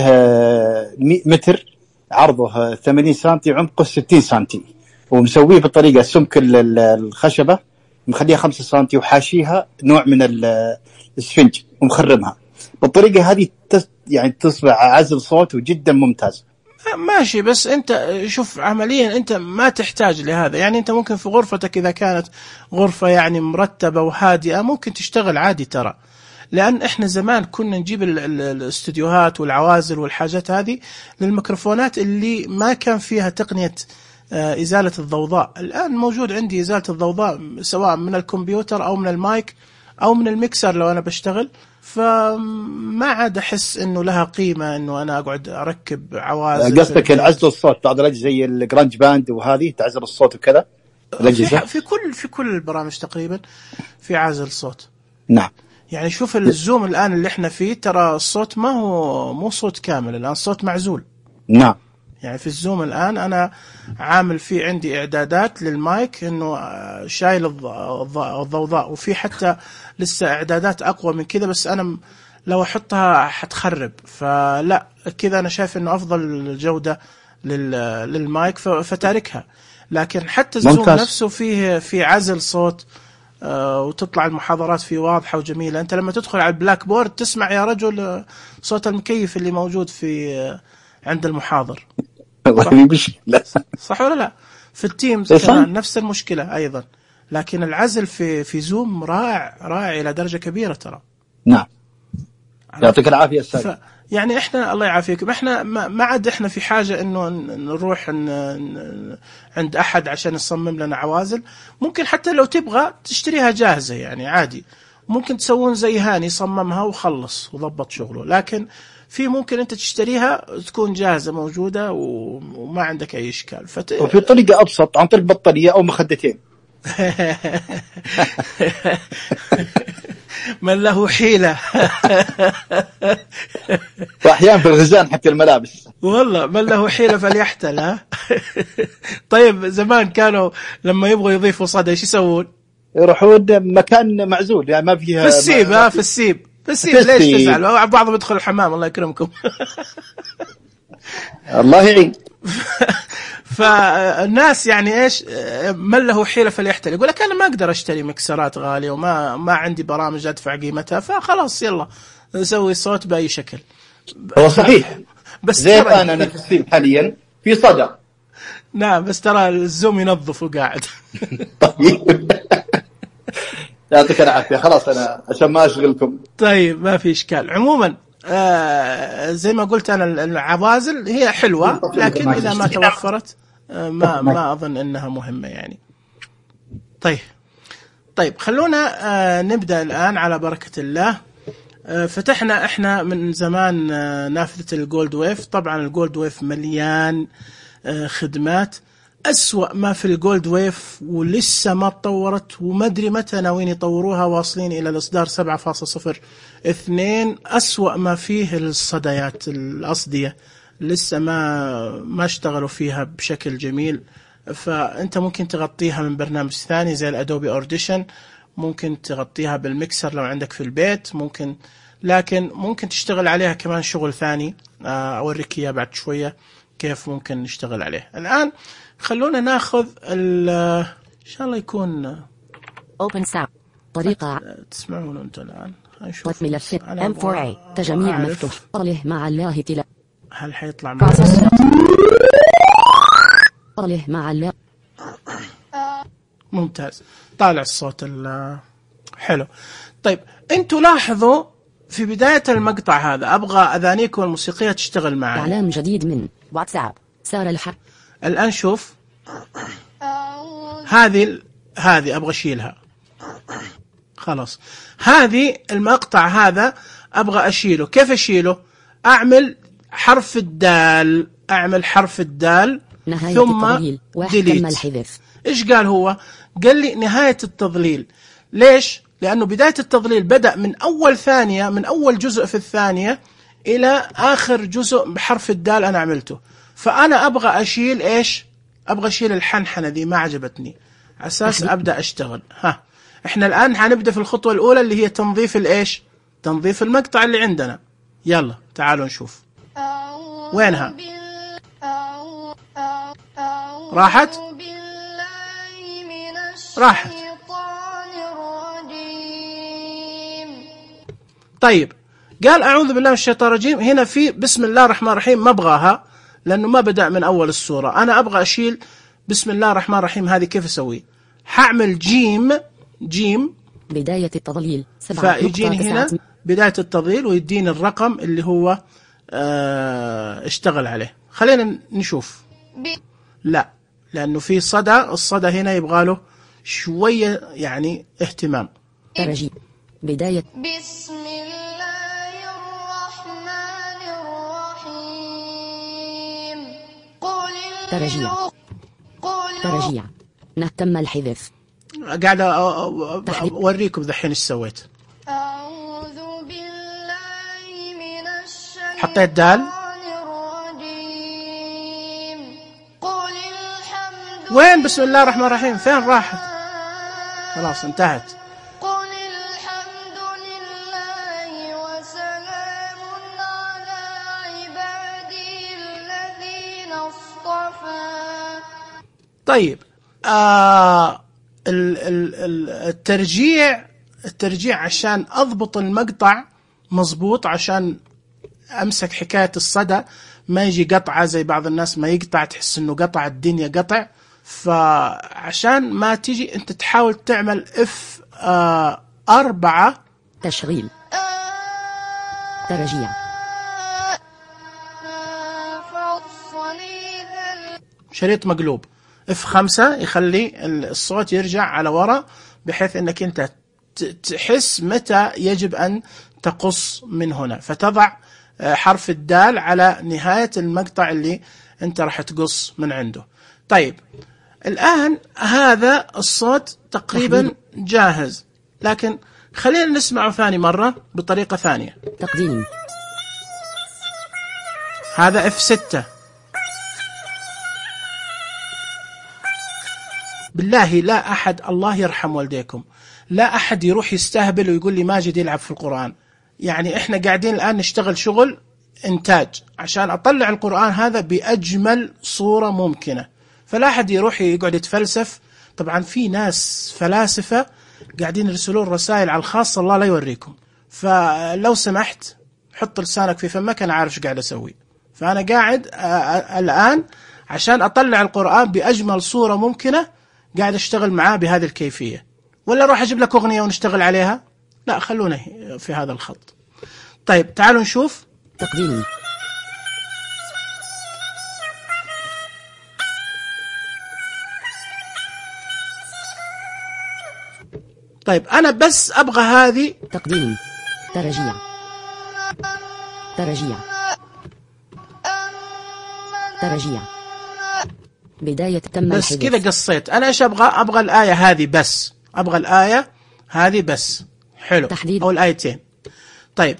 متر، عرضه ثمانين سنتي، عمقه ستين سنتي، ومسويه بطريقة سمك الخشبة مخليها خمسة سنتي، وحاشيها نوع من السفنج ومخرمها بالطريقة هذه، يعني تصبح عزل صوت وجدا ممتاز. ماشي، بس انت شوف عمليا انت ما تحتاج لهذا. يعني انت ممكن في غرفتك اذا كانت غرفة يعني مرتبة وهادئة ممكن تشتغل عادي ترى. لان احنا زمان كنا نجيب الاستديوهات والعوازل والحاجات هذه للميكروفونات اللي ما كان فيها تقنية ازالة الضوضاء. الان موجود عندي ازالة الضوضاء سواء من الكمبيوتر او من المايك او من الميكسر لو انا بشتغل، فما عاد احس انه لها قيمه انه انا اقعد اركب عوازل. قصدك العزل الصوت بعض الاجهزه زي الجرانج باند وهذه تعزل الصوت وكذا الاجهزه في كل في كل البرامج تقريبا في عازل صوت. نعم. يعني شوف الزوم الان اللي احنا فيه ترى الصوت ما هو مو صوت كامل، الان صوت معزول. نعم. يعني في الزوم الآن أنا عامل فيه عندي إعدادات للمايك إنه شايل الضوضاء، وفي حتى لسه إعدادات أقوى من كذا، بس أنا لو أحطها حتخرب، فلا كذا أنا شايف إنه أفضل جودة للمايك فتاركها. لكن حتى الزوم ممتاز. نفسه فيه في عزل صوت وتطلع المحاضرات فيه واضحة وجميلة. أنت لما تدخل على البلاك بورد تسمع يا رجل صوت المكيف اللي موجود في عند المحاضر. صح, صح ولا لا؟ في التيمز كمان نفس المشكلة أيضا. لكن العزل في في زوم رائع رائع إلى درجة كبيرة ترى. نعم. يعطيك العافية أستاذ. يعني إحنا الله يعافيكم، إحنا ما عاد إحنا في حاجة إنه نروح عند أحد عشان يصمم لنا عوازل. ممكن حتى لو تبغى تشتريها جاهزة يعني عادي، ممكن تسوون زي هاني صممها وخلص وضبط شغله. لكن في ممكن أنت تشتريها تكون جاهزة موجودة وما عندك أي إشكال. فت... وفي طريقة أبسط عن طريق بطارية أو مخدتين. من له حيلة. وأحيانا في الغزان حتى الملابس. والله من له حيلة فليحتل. ها. طيب زمان كانوا لما يبغوا يضيفوا صدى ايش يسوون؟ يروحون مكان معزول يعني ما فيها. في السيب. ها في السيب. في السيب. ليش تزعل؟ بعضهم يدخل الحمام الله يكرمكم. الله يعين. فالناس يعني ايش من له حيلة فليحتل، يقول لك انا ما اقدر اشتري مكسرات غالية وما ما عندي برامج ادفع قيمتها، فخلاص يلا نسوي صوت باي شكل. هو صحيح. بس زي انا انا في السيب حاليا في صدى. نعم بس ترى الزوم ينظف وقاعد. طيب. يعطيك العافية. خلاص أنا عشان ما أشغلكم. طيب ما في إشكال. عموما آه زي ما قلت أنا العوازل هي حلوة، لكن إذا ما توفرت آه ما ما أظن أنها مهمة يعني. طيب طيب خلونا آه نبدأ الآن على بركة الله. آه فتحنا إحنا من زمان آه نافذة الجولد ويف. طبعا الجولد ويف مليان آه خدمات. أسوأ ما في الجولد ويف ولسه ما تطورت وما أدري متى ناويين يطوروها، واصلين إلى الإصدار سبعة فاصلة صفر اثنين. أسوأ ما فيه الصديات الأصدية لسه ما ما اشتغلوا فيها بشكل جميل. فأنت ممكن تغطيها من برنامج ثاني زي الأدوبي أورديشن، ممكن تغطيها بالميكسر لو عندك في البيت ممكن، لكن ممكن تشتغل عليها كمان شغل ثاني أوريك إياه بعد شوية كيف ممكن نشتغل عليه. الآن خلونا ناخذ ال إن شاء الله يكون Open Sound طريقة تسمعون أنتم الآن. نشوف ملف إم فور إيه تجميع مفتوح قاله مع الله تلا. هل حيطلع معنا؟ قاله مع الله. ممتاز. طالع الصوت حلو. طيب أنتوا لاحظوا في بداية المقطع هذا أبغى أذانيكم الموسيقية تشتغل معي. إعلان جديد من واتساب سار الحق. الآن شوف هذه هذه أبغى أشيلها خلاص. هذه المقطع هذا أبغى أشيله. كيف أشيله؟ أعمل حرف الدال أعمل حرف الدال ثم ديليت. إيش قال هو؟ قال لي نهاية التضليل. ليش؟ لأنه بداية التضليل بدأ من أول ثانية من أول جزء في الثانية إلى آخر جزء بحرف الدال أنا عملته. فأنا أبغى أشيل إيش؟ أبغى أشيل الحنحنة دي ما عجبتني أساس أبدأ أشتغل. ها إحنا الآن هنبدأ في الخطوة الأولى اللي هي تنظيف الإيش؟ تنظيف المقطع اللي عندنا. يلا تعالوا نشوف وينها راحت راحت. طيب قال أعوذ بالله من الشيطان الرجيم. هنا في بسم الله الرحمن الرحيم ما أبغاها لأنه ما بدأ من أول السورة. أنا أبغى أشيل بسم الله الرحمن الرحيم، هذه كيف أسوي؟ حعمل جيم جيم بداية التضليل، فيجيني هنا بداية التضليل ويديني الرقم اللي هو اه اشتغل عليه. خلينا نشوف. لا، لأنه في صدى، الصدى هنا يبغى له شوية يعني اهتمام. ترجي بداية بسم الله الرحمن الرحيم. قل ترجيع ترجيع نهتم الحذف. قاعد أوريكم ذحين إيش سويت. أعوذ بالله من الشيطان حطيت دال. الرجيم. قل الحمد وين بسم الله الرحمن الرحيم؟ فين راحت؟ خلاص انتهت. قل الحمد لله وسلام على عبادي الذين اصطفى. طيب آه الترجيع الترجيع عشان أضبط المقطع مظبوط، عشان أمسك حكاية الصدى ما يجي قطعة زي بعض الناس ما يقطع تحس إنه قطع الدنيا قطع. فعشان ما تيجي أنت تحاول تعمل اف آه أربعة تشغيل ترجيع شريط مقلوب. اف خمسة يخلي الصوت يرجع على وراء بحيث انك انت تحس متى يجب ان تقص من هنا، فتضع حرف الدال على نهاية المقطع اللي انت راح تقص من عنده. طيب الآن هذا الصوت تقريبا جاهز، لكن خلينا نسمعه ثاني مرة بطريقة ثانية. تقديم هذا اف ستة. بالله لا أحد، الله يرحم والديكم، لا أحد يروح يستهبل ويقول لي ماجد يلعب في القرآن. يعني إحنا قاعدين الآن نشتغل شغل إنتاج عشان أطلع القرآن هذا بأجمل صورة ممكنة، فلا أحد يروح يقعد يتفلسف. طبعا في ناس فلاسفة قاعدين يرسلون رسائل على الخاص الله لا يوريكم، فلو سمحت حط لسانك في فمك، أنا عارف ايش قاعد أسوي. فأنا قاعد الآن عشان أطلع القرآن بأجمل صورة ممكنة، قاعد أشتغل معاه بهذه الكيفية. ولا أروح أجيب لك أغنية ونشتغل عليها؟ لا، خلونا في هذا الخط. طيب تعالوا نشوف. تقديم طيب أنا بس أبغى هذه. تقديم ترجيع ترجيع ترجيع بداية تم بس الحذف. كذا قصيت. أنا إيش أبغى؟ أبغى الآية هذه بس، أبغى الآية هذه بس. حلو. تحديد. أو الآيتين. طيب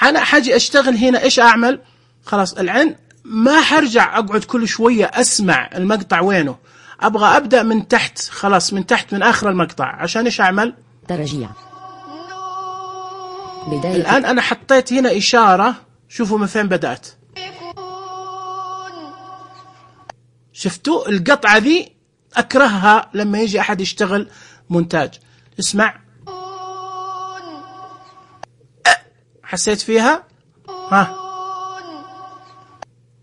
أنا حاجي أشتغل هنا، إيش أعمل؟ خلاص الآن ما حرجع أقعد كل شوية أسمع المقطع وينه، أبغى أبدأ من تحت، خلاص من تحت من آخر المقطع. عشان إيش أعمل؟ ترجيع بداية. الآن أنا حطيت هنا إشارة، شوفوا من فين بدأت. شفتوا القطعة ذي أكرهها لما يجي أحد يشتغل مونتاج. اسمع، حسيت فيها؟ ها.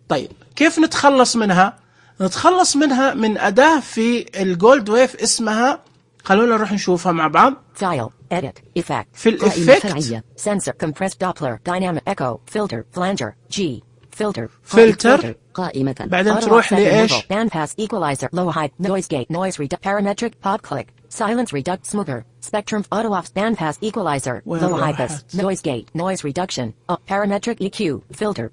طيب كيف نتخلص منها؟ نتخلص منها من أداة في الجولد ويف اسمها، خلونا نروح نشوفها مع بعض. File, edit, effect. في الإفكت sensor, compressed Doppler, dynamic echo, filter, flanger, G, filter, filter. قائمة. بعدين تروح لإيش؟ bandpass equalizer, low high, noise gate, noise reduct, parametric, pod click, silence reduct, smoother, spectrum, auto off, bandpass equalizer, low high pass, noise gate, noise reduction, up, parametric E Q, filter,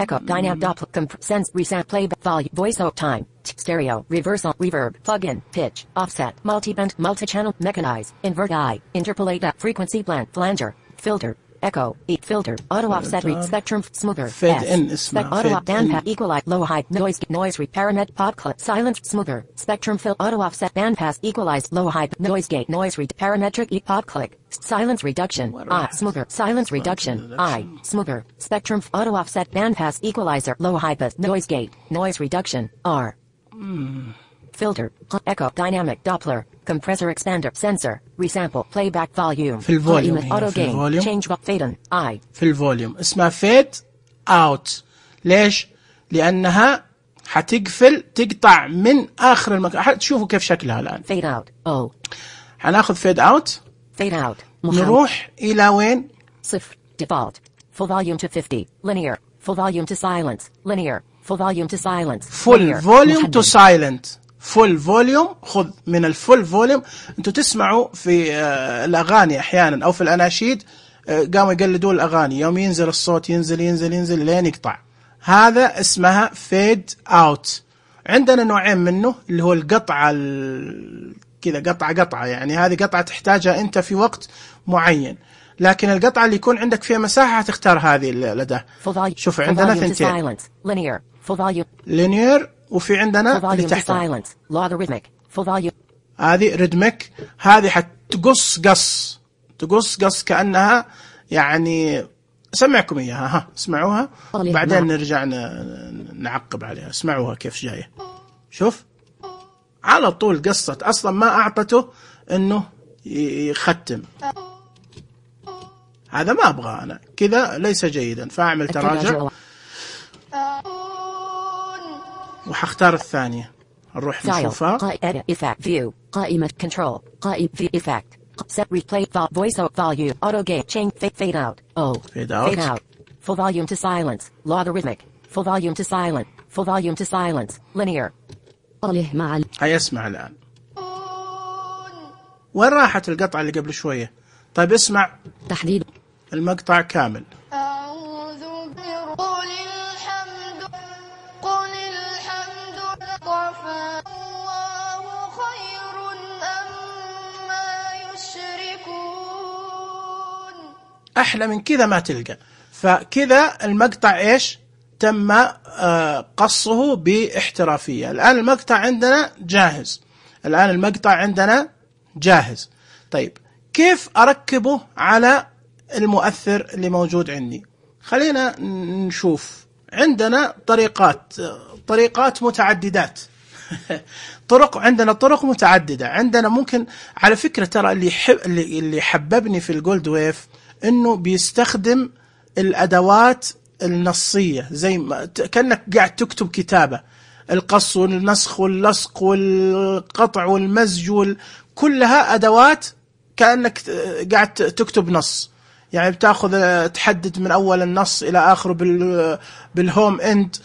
echo, dynamic Doppler, comp- sense, reset, playback, volume, voice out time, stereo, reversal, reverb, plug-in, pitch, offset, multi-band, multi-channel, mechanize, invert I, interpolate, frequency blend, flanger, filter, echo, E filter, auto offset, read, spectrum, smoother, fade S, in spec, اسمها auto fade off, bandpass, in. equalize, low high, noise, noise, re, paramet, pod clip, silence, smoother, spectrum, fill, auto offset, bandpass, equalize, low high, noise gate, noise read, parametric, E pod click, silence reduction, I, smoother, silence reduction, I, smoother, spectrum, auto offset, bandpass, equalizer, low high pass, noise gate, noise reduction, R. filter, echo, dynamic, Doppler, compressor expander, sensor, resample, playback volume, في الفوليوم قائمة هنا، auto في gain, الفوليوم. change up fade in, I. في الفوليوم اسمها فيد اوت. ليش؟ لأنها حتقفل تقطع من آخر المكان. تشوفوا كيف شكلها الآن. Fade out. Oh. حناخذ fade out. Fade out. نروح إلى وين؟ صفر. Default. Full volume to fifty. Linear. Full volume to silence. Linear. Full volume to silence. Full Linear. volume محدد. to silent. Full volume. خذ من الفول فوليوم. أنتوا تسمعوا في الأغاني أحيانا أو في الأناشيد قاموا يقلدوا الأغاني، يوم ينزل الصوت ينزل ينزل ينزل لين يقطع. هذا اسمها fade out. عندنا نوعين منه، اللي هو القطعة كذا قطعة قطعة، يعني هذه قطعة تحتاجها أنت في وقت معين، لكن القطعة اللي يكون عندك فيها مساحة تختار هذه الأداة. شوف عندنا ثنتين، linear وفي عندنا اللي تحتها هذه rhythmic. هذه حتقص قص تقص قص كأنها يعني سمعكم إياها، ها اسمعوها بعدين نرجع نعقب عليها. اسمعوها كيف جاية. شوف على طول قصت، أصلا ما أعطته إنه يختم. هذا ما أبغى أنا كذا، ليس جيدا، فأعمل تراجع وحختار الثانية. نروح نشوفها. قائمة control قائمة في effect set replay voice out volume auto gate change fade out oh fade out fade out full volume to silence logarithmic full volume to silent full volume to silence linear. عليه مع هيا اسمع الآن. وين راحت القطعة اللي قبل شوية؟ طيب اسمع تحديد المقطع كامل. أعوذ قل الحمد قل الحمد لله الله خير أما يشركون. أحلى من كذا ما تلقى. فكذا المقطع إيش تم قصه باحترافية. الآن المقطع عندنا جاهز. الآن المقطع عندنا جاهز. طيب كيف أركبه على المؤثر اللي موجود عندي؟ خلينا نشوف. عندنا طريقات طريقات متعددات طرق عندنا طرق متعددة. عندنا ممكن على فكرة ترى اللي حب اللي اللي حببني في الجولد ويف إنه بيستخدم الأدوات النصية، زي ما كأنك قاعد تكتب كتابة. القص والنسخ واللصق والقطع والمزج كلها أدوات كأنك قاعد تكتب نص. يعني بتاخذ تحدد من أول النص إلى آخره بال بالهوم إند،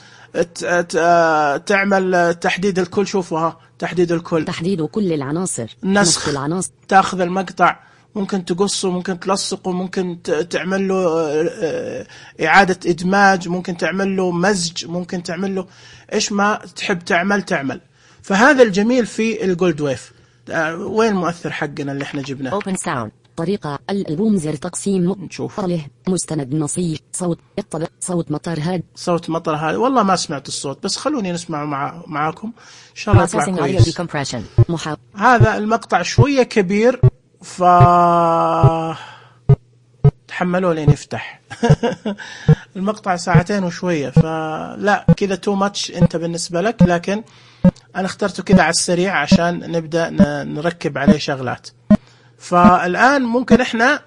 تعمل تحديد الكل. شوفوها تحديد الكل، تحديد كل العناصر، نسخ العناصر. تاخذ المقطع ممكن تقصه، ممكن تلصقه، ممكن تعمل له إعادة إدماج، ممكن تعمل له مزج، ممكن تعمل له إيش ما تحب تعمل تعمل. فهذا الجميل في الجولد ويف. وين المؤثر حقنا اللي احنا جبناه؟ Open Sound. طريقة الألبوم زر تقسيم نشوف له مستند نصي صوت يطبق صوت مطر هاد صوت مطر هاد. والله ما سمعت الصوت، بس خلوني نسمع مع معاكم إن شاء الله يطلع كويس. محا... هذا المقطع شوية كبير، ف تحملوا لين يفتح. المقطع ساعتين وشوية، فلا كذا تو ماتش انت بالنسبة لك، لكن انا اخترته كذا على السريع عشان نبدأ نركب عليه شغلات. فالآن ممكن احنا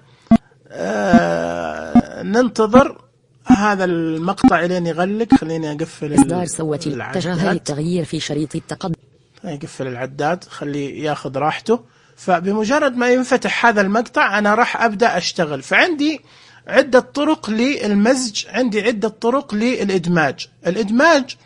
آه ننتظر هذا المقطع لين يغلق. خليني اقفل إصدار صوتي اتجاه التغيير في شريط التقدم. يقفل العداد، خليه ياخذ راحته. فبمجرد ما ينفتح هذا المقطع أنا راح أبدأ أشتغل. فعندي عدة طرق للمزج، عندي عدة طرق للإدماج. الإدماج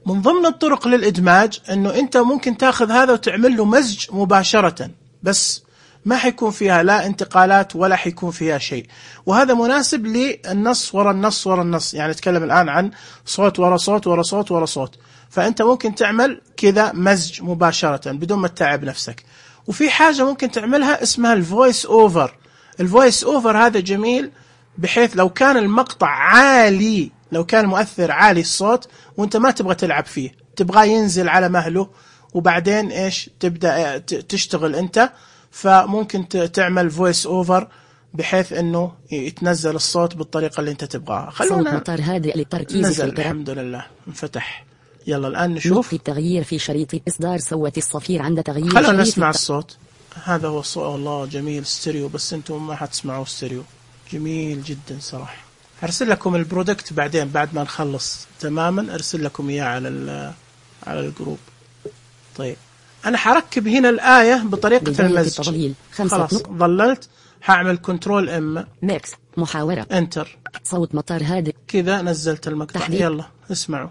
من ضمن الطرق للإدماج أنه أنت ممكن تأخذ هذا وتعمل له مزج مباشرة، بس ما حيكون فيها لا انتقالات ولا حيكون فيها شيء. وهذا مناسب للنص ورا النص ورا النص. يعني نتكلم الآن عن صوت ورا صوت ورا صوت ورا صوت، فأنت ممكن تعمل كذا مزج مباشرة بدون ما تتعب نفسك. وفي حاجة ممكن تعملها اسمها الفويس أوفر. الفويس أوفر هذا جميل، بحيث لو كان المقطع عالي، لو كان المؤثر عالي الصوت وانت ما تبغى تلعب فيه، تبغى ينزل على مهله، وبعدين ايش تبدأ تشتغل انت، فممكن تعمل فويس أوفر بحيث انه يتنزل الصوت بالطريقة اللي انت تبغاها. خلونا مطار هادئ للتركيز نزل. الحمد لله انفتح. يلا الآن نشوف التغيير في شريط إصدار صوت الصفير عند تغيير. خلونا نسمع الصوت. هذا هو الصوت. والله جميل ستيريو، بس انتم ما حتسمعوا ستيريو. جميل جدا صراحة. أرسل لكم البرودكت بعدين بعد ما نخلص تماما، أرسل لكم إياه على على الجروب. طيب أنا حركب هنا الآية بطريقة المزج. خلاص ظللت هعمل كنترول ام ميكس محاورة انتر صوت مطار هادئ كذا نزلت المقطع. تحديد. يلا اسمعوا.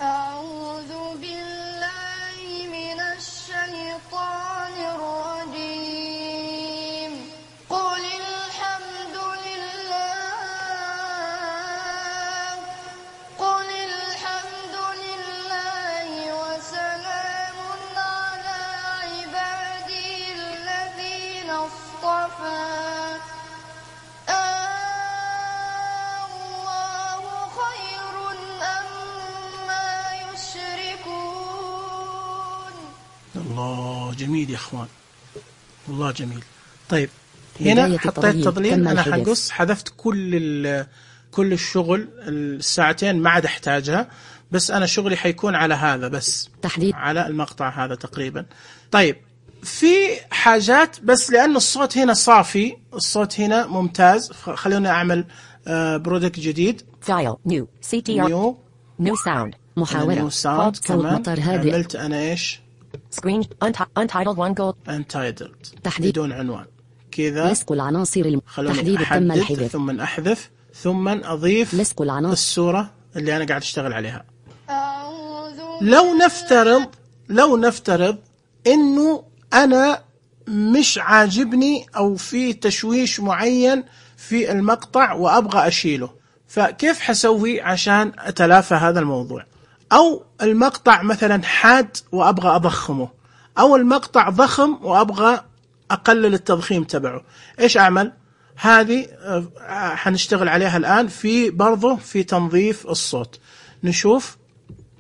أعوذ بالله من الشيطان الرجيم قل الحمد لله قل الحمد لله وسلام على عبادي الذين اصطفى الله خير أما يشركون. الله جميل يا اخوان، والله جميل. طيب هنا بداية حطيت التضليل. تضليل، تم انا الحدث. حنقص حذفت كل ال- كل الشغل الساعتين ما عاد احتاجها، بس انا شغلي حيكون على هذا بس، تحديد على المقطع هذا تقريبا. طيب في حاجات بس لأن الصوت هنا صافي، الصوت هنا ممتاز، خلوني أعمل برودكت جديد. فايل نيو سي تي ار نيو نيو ساوند محاورة نيو ساوند صوت كمان. مطار هادئ عملت أنا إيش سكرين untitled one gold untitled تحديد. بدون عنوان كذا. لصق العناصر الم... خلوني تحديد تم أحدد الحذف ثم أحذف ثم أضيف لصق العناصر الصورة اللي أنا قاعد أشتغل عليها. أعوذ لو نفترض لو نفترض إنه أنا مش عاجبني أو في تشويش معين في المقطع وأبغى أشيله، فكيف حسوي عشان أتلافى هذا الموضوع؟ أو المقطع مثلا حاد وأبغى أضخمه، أو المقطع ضخم وأبغى أقلل التضخيم تبعه، إيش أعمل؟ هذه آه، حنشتغل عليها الآن في برضه في تنظيف الصوت. نشوف.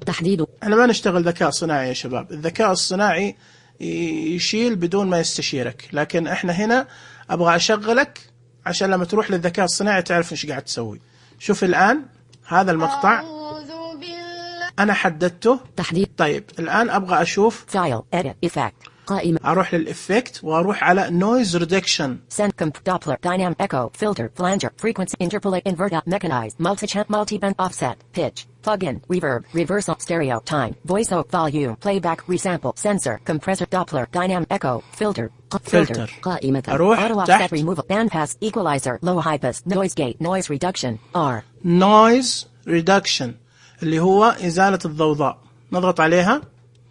تحديد أنا ما نشتغل ذكاء صناعي يا شباب، الذكاء الصناعي يشيل بدون ما يستشيرك، لكن احنا هنا أبغى أشغلك عشان لما تروح للذكاء الصناعي تعرف إيش قاعد تسوي. شوف الآن هذا المقطع أعوذ بالله أنا حددته. تحديد طيب الآن أبغى أشوف، فايل edit effect قائمة أروح للإفكت وأروح على noise reduction. send comp doppler dynamic echo filter flanger frequency interpolate invert up mechanized multi-channel multi-band offset pitch plug-in reverb reversal stereo time voice over volume playback resample sensor compressor doppler dynamic echo filter filter Filter. قائمة أروح auto offset تحت. removal bandpass equalizer low high pass noise gate noise reduction R noise reduction اللي هو إزالة الضوضاء، نضغط عليها.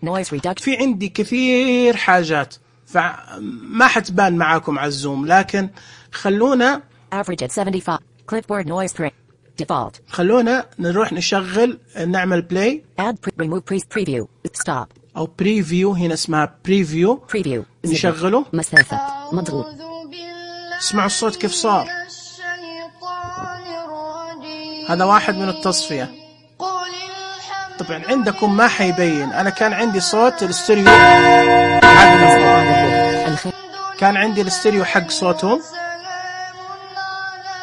noise reduction في عندي كثير حاجات فما حتبان معاكم على الزوم، لكن خلونا average at seventy-five clipboard noise pre default خلونا نروح نشغل نعمل بلاي add pre remove pre preview stop او بريفيو، هنا اسمها بريفيو. preview نشغله. مسافة مضغوط أعوذ بالله اسمعوا الصوت كيف صار. من الشيطان الرجيم هذا واحد من التصفية. قل الحمد طبعا عندكم ما حيبين، انا كان عندي صوت الاستريو حق الخير كان عندي الاستريو حق صوتهم، سلام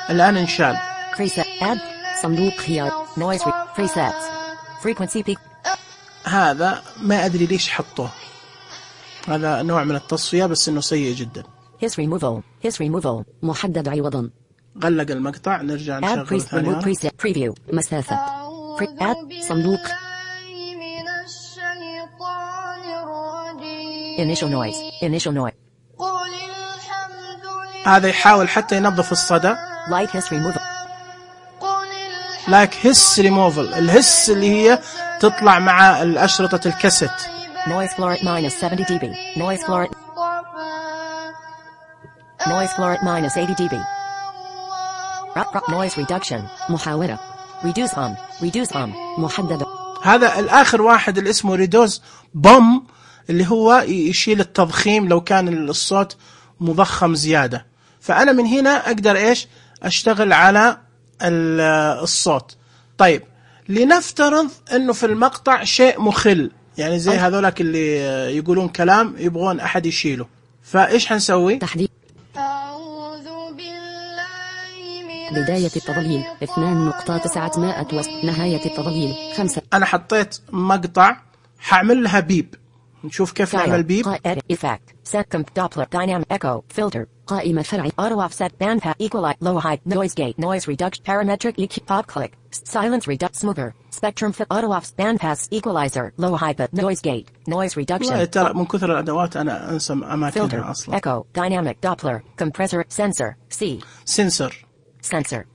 على الان انشال. preset add صندوق خيار noise re presets frequency peak هذا ما ادري ليش حطوه، هذا نوع من التصفية بس انه سيء جدا. his removal his removal محدد عوضا غلق المقطع، نرجع add نشغل pre ثاني remove مرة. preset preview مسافة pre add صندوق بالله من الشيطان الرجيم initial noise initial noise قل الحمد لله هذا يحاول حتى ينظف الصدى. light his removal قل الحمد لايك هس ريموفل، الهس اللي هي تطلع مع الأشرطة الكاسيت. noise floor at minus seventy decibel noise floor at noise floor at minus eighty decibel Rock, rock, noise reduction محاورة reduce on reduce on محددة هذا الآخر واحد اللي اسمه ريدوز بوم، اللي هو يشيل التضخيم لو كان الصوت مضخم زيادة. فأنا من هنا أقدر إيش أشتغل على الصوت. طيب لنفترض أنه في المقطع شيء مخل، يعني زي هذولك اللي يقولون كلام يبغون أحد يشيله، فإيش حنسوي؟ تحديد أعوذ بالله من بداية التضليل اثنان نقطة تسعمائة وست نهاية التضليل خمسة أنا حطيت مقطع حعمل لها بيب نشوف كيف نعمل بيب. edit effect set comp Doppler dynamic echo filter قائمة فرعي auto offset band pass equalize low high noise gate noise reduction parametric E Q pop click silence reduct smoother spectrum fit auto offset band pass equalizer low high but noise gate noise reduction. ترى من كثر الأدوات أنا أنسى أماكنها أصلا. echo dynamic Doppler compressor sensor C sensor sensor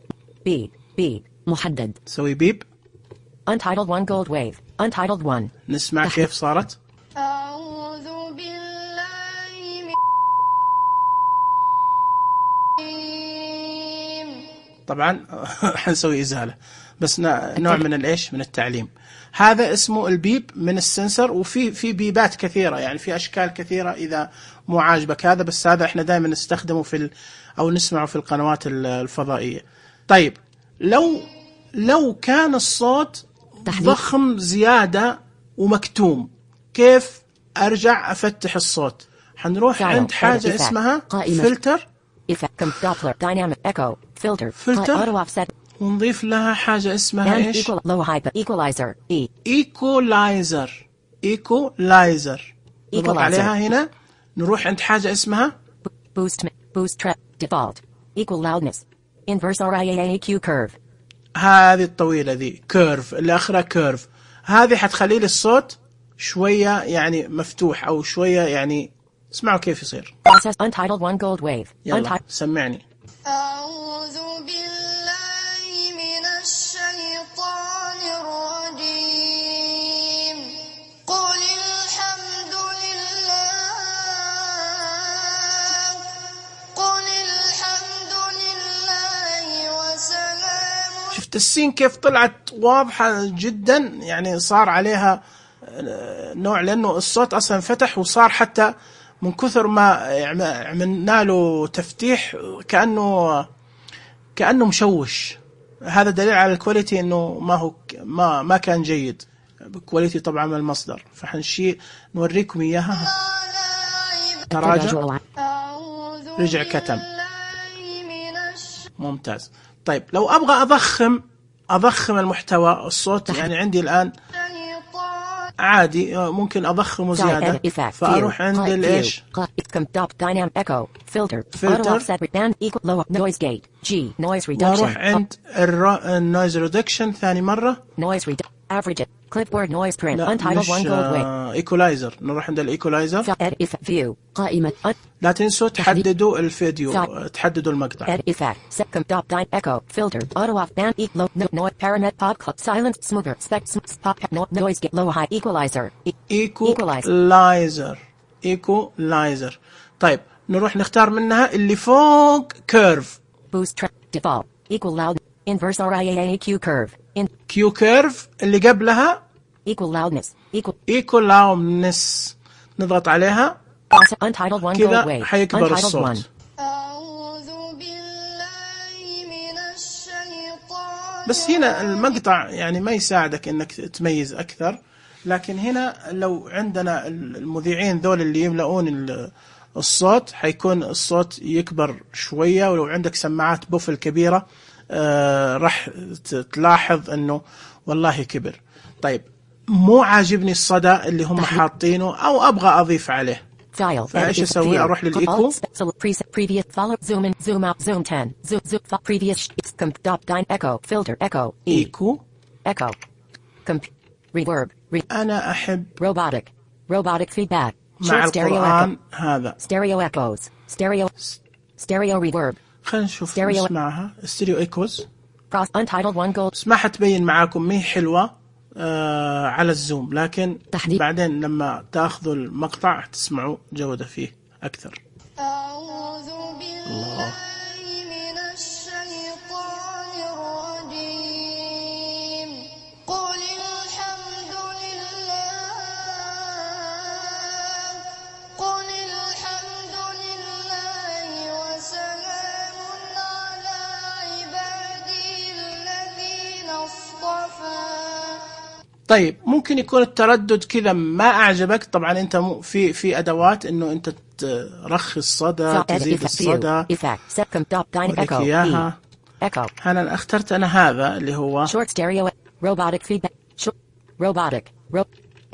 B B محدد. سوي بيب. untitled one gold wave untitled one. نسمع كيف صارت. أعوذ بالله من طبعا حنسوي إزالة بس نوع من الإيش من التعليم. هذا اسمه البيب من السنسر، وفي في بيبات كثيرة يعني في أشكال كثيرة إذا مو عاجبك هذا، بس هذا إحنا دائما نستخدمه في ال أو نسمعه في القنوات الفضائية. طيب لو لو كان الصوت ضخم زيادة ومكتوم كيف أرجع أفتح الصوت؟ حنروح عند حاجة اسمها فلتر فلتر ونضيف لها حاجة اسمها إيش؟ إيكولايزر إيكولايزر إيكولايزر نضغط عليها هنا. نروح عند حاجة اسمها boost boost trap default equal loudness inverse R I A A Q curve. هذه الطويلة ذي كيرف اللي آخرها كيرف، هذه حتخلي لي الصوت شوية يعني مفتوح أو شوية يعني اسمعوا كيف يصير. process untitled one gold wave. يلا سمعني. أعوذ بالله من الشيطان الرجيم قل الحمد لله قل الحمد لله وسلام. شفت السين كيف طلعت واضحة جدا، يعني صار عليها نوع لأنه الصوت أصلا فتح وصار حتى من كثر ما عملنا له تفتيح كأنه كأنه مشوش. هذا دليل على الكواليتي إنه ما هو ما ما كان جيد. كواليتي طبعا من المصدر، فحنشي نوريكم إياها. تراجع رجع كتم ممتاز. طيب لو أبغى أضخم أضخم المحتوى الصوت، يعني عندي الآن عادي ممكن أضخمه زيادة، فأروح عند الإيش فلتر وأروح عند النويز ريدكشن ثاني مرة clipboard noise print untitled one gold wave equalizer. نروح عند الايكولايزر. view قائمة لا تنسوا تحددوا الفيديو تحددوا المقطع. edit effect set comp dot dyn echo filter auto off band e low no noise paramet pop club silence smoother spec pop noise get low high equalizer equalizer equalizer. طيب نروح نختار منها اللي فوق كيرف boost track default equal loud inverse R I A A Q curve in Q curve اللي قبلها equal loudness equal equal loudness نضغط عليها untitled one gold كذا wave حيكبر الصوت. أعوذ بالله من الشيطان. بس هنا المقطع يعني ما يساعدك انك تميز اكثر، لكن هنا لو عندنا المذيعين ذول اللي يملؤون الصوت حيكون الصوت يكبر شوية، ولو عندك سماعات بوفل كبيرة آه راح تلاحظ انه والله كبر. طيب مو عاجبني الصدى اللي هم حاطينه او ابغى اضيف عليه، فايش اسوي؟ اروح للايكو previous follow zoom in zoom out zoom ten zoom zoom previous comp dyn echo filter echo ايكو echo comp reverb انا احب robotic robotic feedback مع القرآن هذا stereo echoes stereo stereo reverb. خلينا نشوف نسمعها ستيريو ايكوز cross untitled one gold. اسمعها تبين معاكم مي حلوة آه على الزوم، لكن تحديد. بعدين لما تاخذوا المقطع تسمعوا جودة فيه أكثر. أعوذ بالله من الشيطان الرجيم قل الحمد لله قل الحمد لله وسلام على عبادي الذين اصطفى. طيب ممكن يكون التردد كذا ما أعجبك، طبعا أنت في في أدوات إنه أنت ترخي الصدى تزيد الصدى وريك إياها. أنا اخترت أنا هذا اللي هو short stereo robotic feedback robotic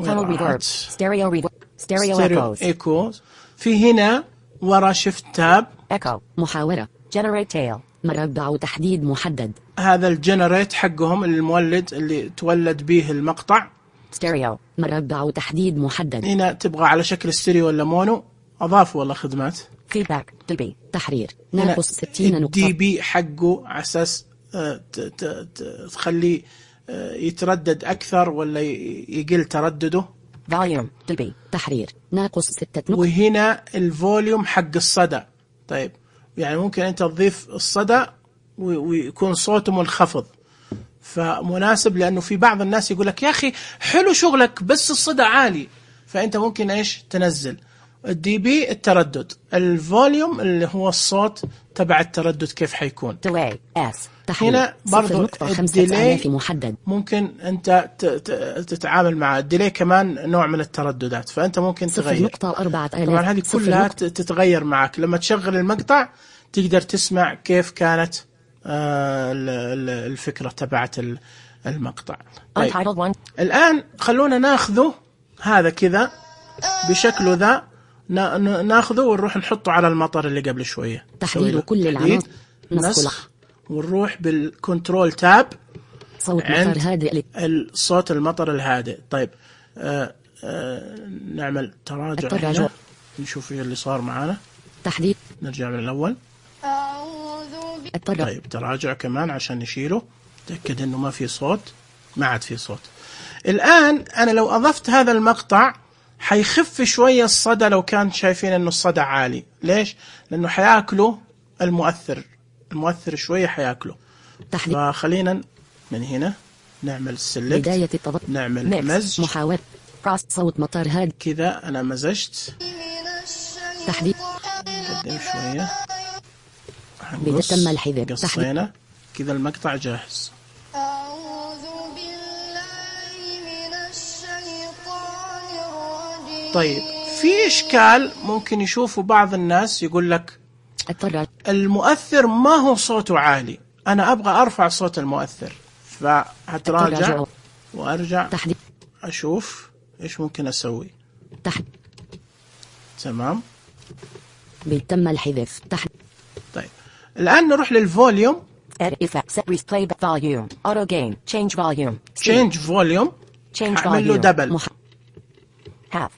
tunnel reverb stereo reverb stereo ستيريو echoes ايكوز. في هنا ورا شيفت تاب، echo محاورة generate tail مربع تحديد محدد هذا الجنريت حقهم المولد اللي تولد به المقطع. stereo مربع تحديد محدد هنا تبغى على شكل ستيريو ولا مونو، اضافوا والله خدمات. feedback دي بي تحرير هنا ناقص ستين الدي نقطة بي حقه على اساس آه، ت- ت- ت- تخليه آه، يتردد اكثر ولا ي- يقل تردده. volume دي بي تحرير ناقص ستة نقطة وهنا الفوليوم حق الصدى. طيب يعني ممكن انت تضيف الصدى و- ويكون صوته منخفض، فمناسب لانه في بعض الناس يقول لك يا اخي حلو شغلك بس الصدى عالي، فانت ممكن ايش تنزل الدي بي التردد، الفوليوم اللي هو الصوت تبع التردد كيف حيكون. delay S تحرير هنا برضو الديلي في محدد ممكن انت ت- ت- تتعامل مع الديلي كمان نوع من الترددات، فانت ممكن صفر تغير. نقطة أربعة آلاف طبعا هذه صفر كلها نقطة ت- تتغير معك لما تشغل المقطع، تقدر تسمع كيف كانت آه، ال- ال- الفكرة تبعت ال- المقطع. طيب untitled one الآن خلونا ناخذه هذا كذا بشكله ذا، نا- ن- ناخذه ونروح نحطه على المطر اللي قبل شوية. تحديد نسوي له كل تحديد، العناصر. نسخ نسخ، ونروح بالكنترول تاب صوت عند مطر هادئ الصوت المطر الهادئ. طيب آه آه نعمل تراجع التراجع. هنا نشوف ايش اللي صار معانا. تحديد نرجع من الأول. أعوذ ب... التراجع طيب تراجع كمان عشان نشيله، تأكد انه ما في صوت، ما عاد في صوت. الآن أنا لو أضفت هذا المقطع حيخف شوية الصدى لو كان شايفين انه الصدى عالي. ليش؟ لأنه حياكله المؤثر، المؤثر شوية حياكله. تحديد فخلينا من هنا نعمل سيلكت، بداية التضغط نعمل ميكس مزج محاولة راس صوت مطر هادئ كذا. أنا مزجت، من الشيطان تحديد قدم شوية، بدأ هنقص، تم الحذف. قصينا كذا المقطع جاهز. أعوذ بالله من الشيطان الرجيم. طيب في إشكال ممكن يشوفوا بعض الناس، يقول لك التراجع المؤثر ما هو صوته عالي، أنا أبغى أرفع صوت المؤثر، فهتراجع التراجع. وأرجع تحديد أشوف إيش ممكن أسوي. تحديد تمام. تم الحذف. تحديد طيب الآن نروح للفوليوم، Edit effect set replay volume auto gain change volume change volume، change هعمل له volume دبل. مح... half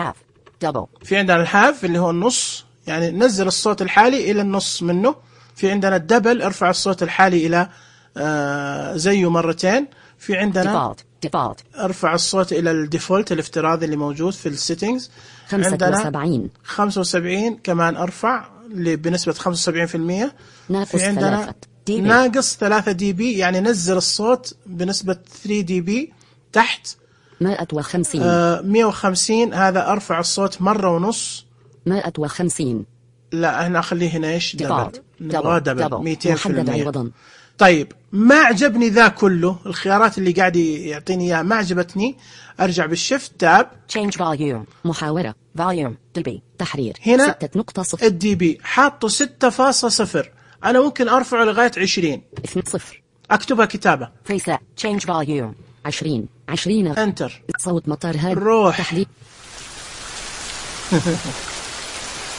half double في عندنا الهاف اللي هو النص، يعني نزل الصوت الحالي إلى النص منه. في عندنا الدبل، ارفع الصوت الحالي إلى آه زيه مرتين. في عندنا default default ارفع الصوت إلى الديفولت الافتراضي اللي موجود في السيتنجز. خمسة عندنا وسبعين خمسة وسبعين كمان ارفع اللي بنسبة خمسة وسبعين بالمئة. ناقص في عندنا ثلاثة دي بي ناقص ثلاثة دي بي، يعني نزل الصوت بنسبة ثلاثة دي بي تحت. مائة وخمسين آه مئة وخمسين هذا ارفع الصوت مرة ونص. مائة وخمسين لا هنا اخليه هنا ايش دبل، default نبغاه double دبل double مئتين محدد بالمئة. عوضا. طيب ما عجبني ذا كله، الخيارات اللي قاعد يعطيني اياها ما عجبتني، ارجع بالشيفت تاب change volume محاورة volume دلبي تحرير هنا ستة نقطة صفر الدي بي حاطه ستة فاصلة صفر، انا ممكن ارفعه لغايه عشرين، اثنين صفر اكتبها كتابه preset change volume عشرين عشرين انتر. صوت مطر هادئ روح. تحديد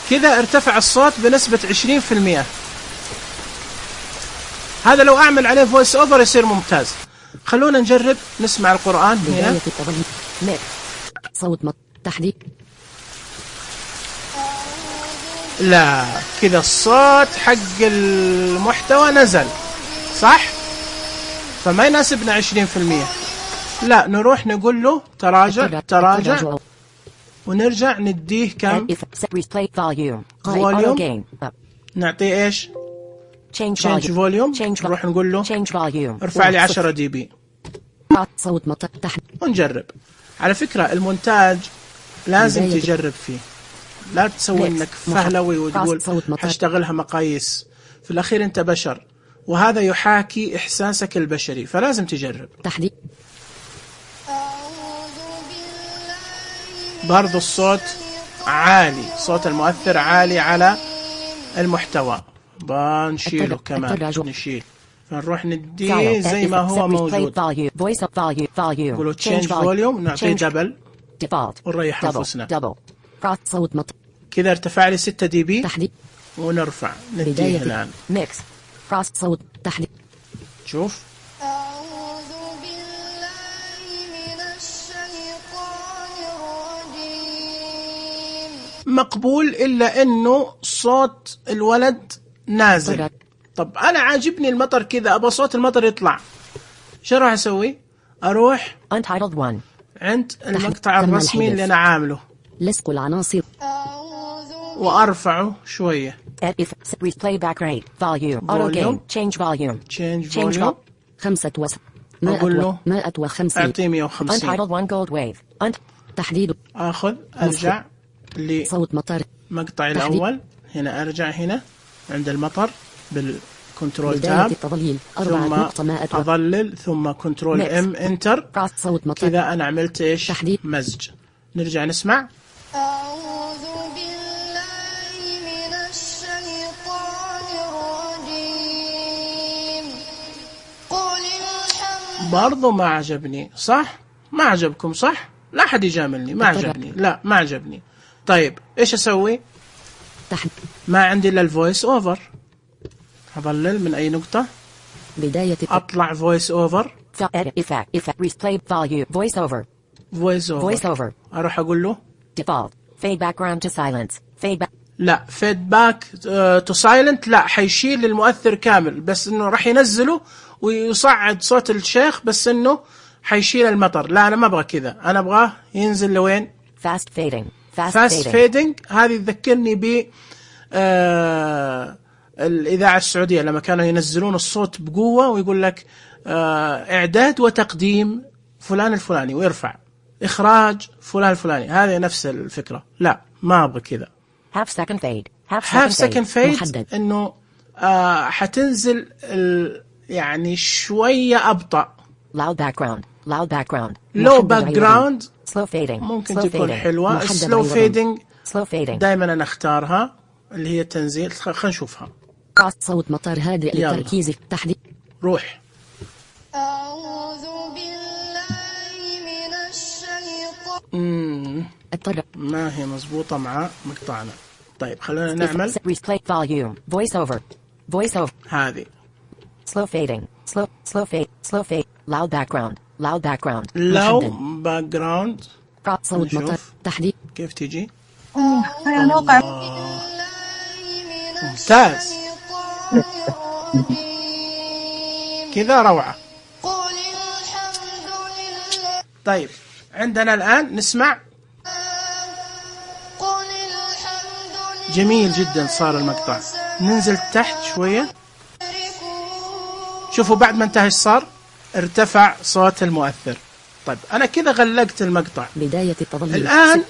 كذا ارتفع الصوت بنسبه عشرين بالمئة. هذا لو اعمل عليه فويس اوفر يصير ممتاز. خلونا نجرب نسمع القرآن هنا. بداية التضغيط ميك صوت مطر تحديد لا كذا الصوت حق المحتوى نزل صح، فما يناسبنا عشرين بالمئة. لا نروح نقول له تراجع تراجع ونرجع نديه كم set replay volume Volume. auto gain up نعطيه ايش change change volume volume. change نروح نقول له change volume ارفع لي واحد عشرة دي بي صفر. صوت مطر تحديد ونجرب. على فكرة المونتاج لازم بداية- تجرب فيه، لا تسوي Mix. انك مح- فهلوي وتقول صوت مطر. حاشتغلها مقاييس. في الاخير انت بشر وهذا يحاكي احساسك البشري، فلازم تجرب. تحديد أعوذ بالله برضو الصوت عالي، صوت المؤثر عالي على المحتوى، بنشيله التر- كمان التراجع. نشيل، فنروح نديه File. زي ما Set هو replay موجود. volume voice up volume volume نقوله change change volume نعطيه change دبل default ونريح double أنفسنا. double cross صوت مطر كذا ارتفع لي ستة دي بي تحديد ونرفع نديه بداية الآن. mix cross صوت تحديد شوف أعوذ بالله من الشيطان الرجيم. مقبول، إلا إنه صوت الولد نازل. طيب. طب أنا عاجبني المطر كذا، أبغى صوت المطر يطلع، شو راح أسوي؟ أروح untitled one عند المقطع تم الرسمي الحذف. اللي أنا عامله لصق العناصر أعوذ وأرفعه شوية. if replay back rate volume auto Volume. gain change volume change change volume. vol- خمسة وس أقول مائة له و- مائة وخمسين أعطيه مية وخمسين. untitled one gold wave أنت تحديد أخذ أرجع صوت مطر لمقطع تحديد. الأول، هنا أرجع هنا عند المطر بالكنترول بداية تاب، التضليل أربعة ثم نقطة مائة و- أظلل، ثم كنترول Mix. إم إنتر. cross صوت مطر كذا أنا عملت إيش؟ تحديد. مزج. نرجع نسمع. أعوذ بالله من الشيطان الرجيم. قل الحمد برضو ما عجبني، صح؟ ما عجبكم صح؟ لا أحد يجاملني، ما بالطبع. عجبني، لا ما عجبني. طيب إيش أسوي؟ تحديد ما عندي إلا الفويس أوفر، أظلل من أي نقطة، بداية الت- أطلع فويس أوفر، ف- edit effect effect replay volume voice over فويس voice أوفر، over أروح أقول له default fade background to silence fade back لا فيدباك تو سايلنت، لا حيشيل المؤثر كامل، بس انه راح ينزله ويصعد صوت الشيخ، بس انه حيشيل المطر. لا انا ما ابغى كذا، انا ابغاه ينزل لوين؟ fast fading fast فاست fading فيدنج. هذه تذكرني ب آه الاذاعه السعوديه لما كانوا ينزلون الصوت بقوه ويقول لك آه اعداد وتقديم فلان الفلاني ويرفع، اخراج فلان الفلاني، هذه نفس الفكره. لا ما ابغى كذا. half second fade half هاف second سكند fade فيد محدد انه آه حتنزل ال- يعني شويه ابطا. loud background loud background لو محدد باك عوضاً. جراوند slow fading ممكن slow تكون fading. حلوه. محدد سلو عوضاً. فيدنج slow fading دائما انا اختارها، اللي هي تنزيل. خ- خلينا نشوفها. cross صوت مطر هادئ يلا. للتركيز تحديد روح. أعوذ بالله من الشيطان. مم. اضطر ما هي مزبوطه مع مقطعنا. طيب خلينا نعمل replay volume voice over voice over هذه. slow fading slow slow fade slow fade loud background loud background لو محدد باك جراوند cross صوت نشوف. مطر تحديد كيف تيجي؟ بالله من ممتاز. الشيطان الرجيم. كذا روعه. قل الحمد لله. طيب عندنا الان نسمع. قل الحمد لله. جميل جدا صار المقطع. ننزل تحت شويه. شوفوا بعد ما انتهى ايش صار؟ ارتفع صوت المؤثر. طيب انا كذا غلقت المقطع. بداية التظليل الان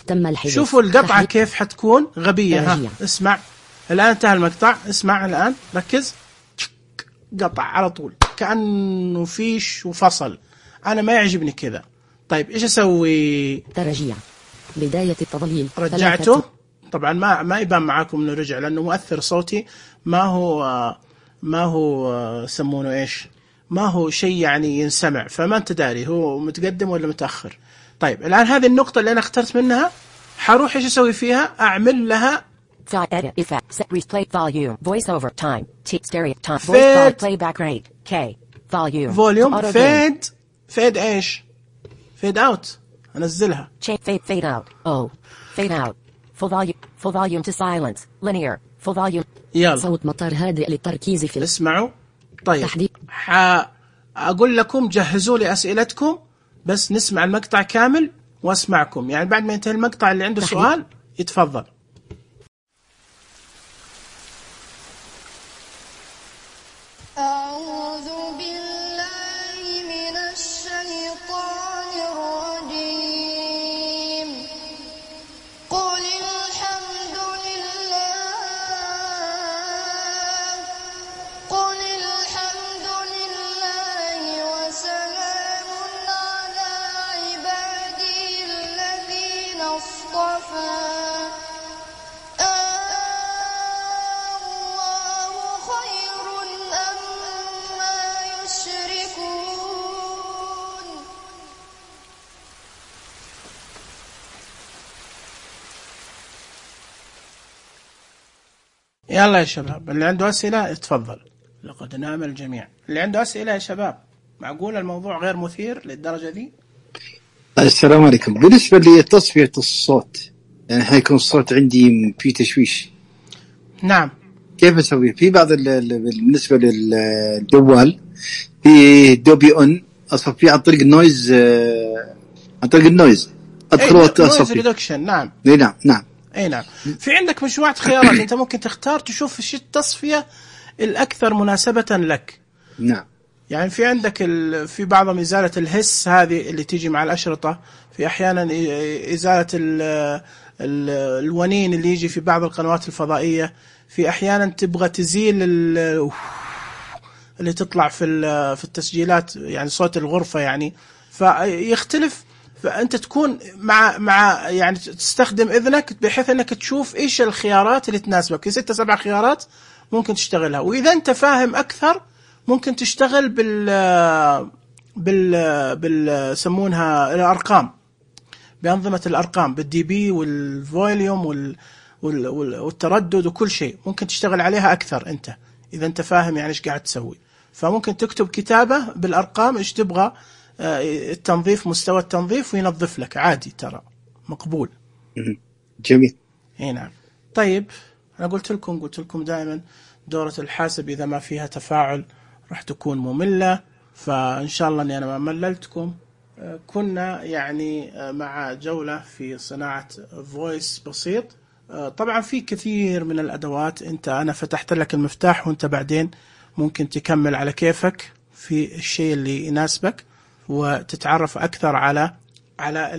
تم الحذف شوفوا القطعه تحديد. كيف حتكون غبيه. ها درجية. اسمع الان انتهى المقطع. اسمع الان ركز. قطع على طول كأنه فيش وفصل. انا ما يعجبني كذا. طيب ايش اسوي؟ درجية بداية التظليل رجعته. ثلاثة. طبعا ما ما يبان معاكم انه رجع، لانه مؤثر صوتي ما هو ما هو يسمونه ايش، ما هو شيء يعني ينسمع، فما انت داري هو متقدم ولا متاخر. طيب الان هذه النقطه اللي انا اخترت منها حروح ايش اسوي فيها؟ اعمل لها Dot edit effect set replay volume voice over time T stereo time voice Fade. volume playback rate K volume فوليوم. auto gain فيد فيد ايش؟ فيد اوت. انزلها. change fade fade out O fade out full volume full volume to silence linear full volume يلا صوت مطر هادئ للتركيز في اسمعوا. طيب تحديد. حأقول لكم جهزوا لي أسئلتكم، بس نسمع المقطع كامل واسمعكم، يعني بعد ما ينتهي المقطع اللي عنده تحديد. سؤال يتفضل. أعوذ بالله من الشيطان الرجيم. قل الحمد لله. قل الحمد لله وسلام على عبادي الذين اصطفى. الله خير أما يلا يا شباب، اللي عنده أسئلة يتفضل. لقد نام الجميع. اللي عنده أسئلة يا شباب. معقول الموضوع غير مثير للدرجة دي؟ السلام عليكم. بالنسبة لتصفية الصوت، يعني حيكون الصوت عندي في تشويش. نعم. كيف أسوي؟ في بعض بالنسبة للجوال في دوبي أون أصفيه عن طريق النويز، عن طريق النويز أدخل وأصفي. نعم. نعم نعم. أي نعم. في عندك مجموعة خيارات، أنت ممكن تختار تشوف إيش التصفية الأكثر مناسبة لك. نعم. يعني في عندك ال... في بعضهم إزالة الهس هذه اللي تيجي مع الأشرطة، في أحيانا إزالة ال... ال... الونين اللي يجي في بعض القنوات الفضائية، في أحيانا تبغى تزيل ال... اللي تطلع في ال... في التسجيلات، يعني صوت الغرفة يعني، فيختلف. فأنت تكون مع مع يعني تستخدم إذنك بحيث أنك تشوف إيش الخيارات اللي تناسبك. في ستة سبع خيارات ممكن تشتغلها، وإذا أنت فاهم أكثر ممكن تشتغل بال بال بال سمونها الأرقام، بأنظمة الأرقام، بالدي بي والفوليوم وال والتردد وكل شيء ممكن تشتغل عليها أكثر أنت إذا أنت فاهم يعني إيش قاعد تسوي. فممكن تكتب كتابة بالأرقام إيش تبغى التنظيف، مستوى التنظيف، وينظف لك عادي، ترى مقبول. جميل. اي نعم. طيب أنا قلت لكم قلت لكم دائما دورة الحاسب إذا ما فيها تفاعل راح تكون مملة، فإن شاء الله أني أنا ما مللتكم. كنا يعني مع جولة في صناعة فويس بسيط. طبعا في كثير من الأدوات، أنت أنا فتحت لك المفتاح وأنت بعدين ممكن تكمل على كيفك في الشيء اللي يناسبك، وتتعرف أكثر على على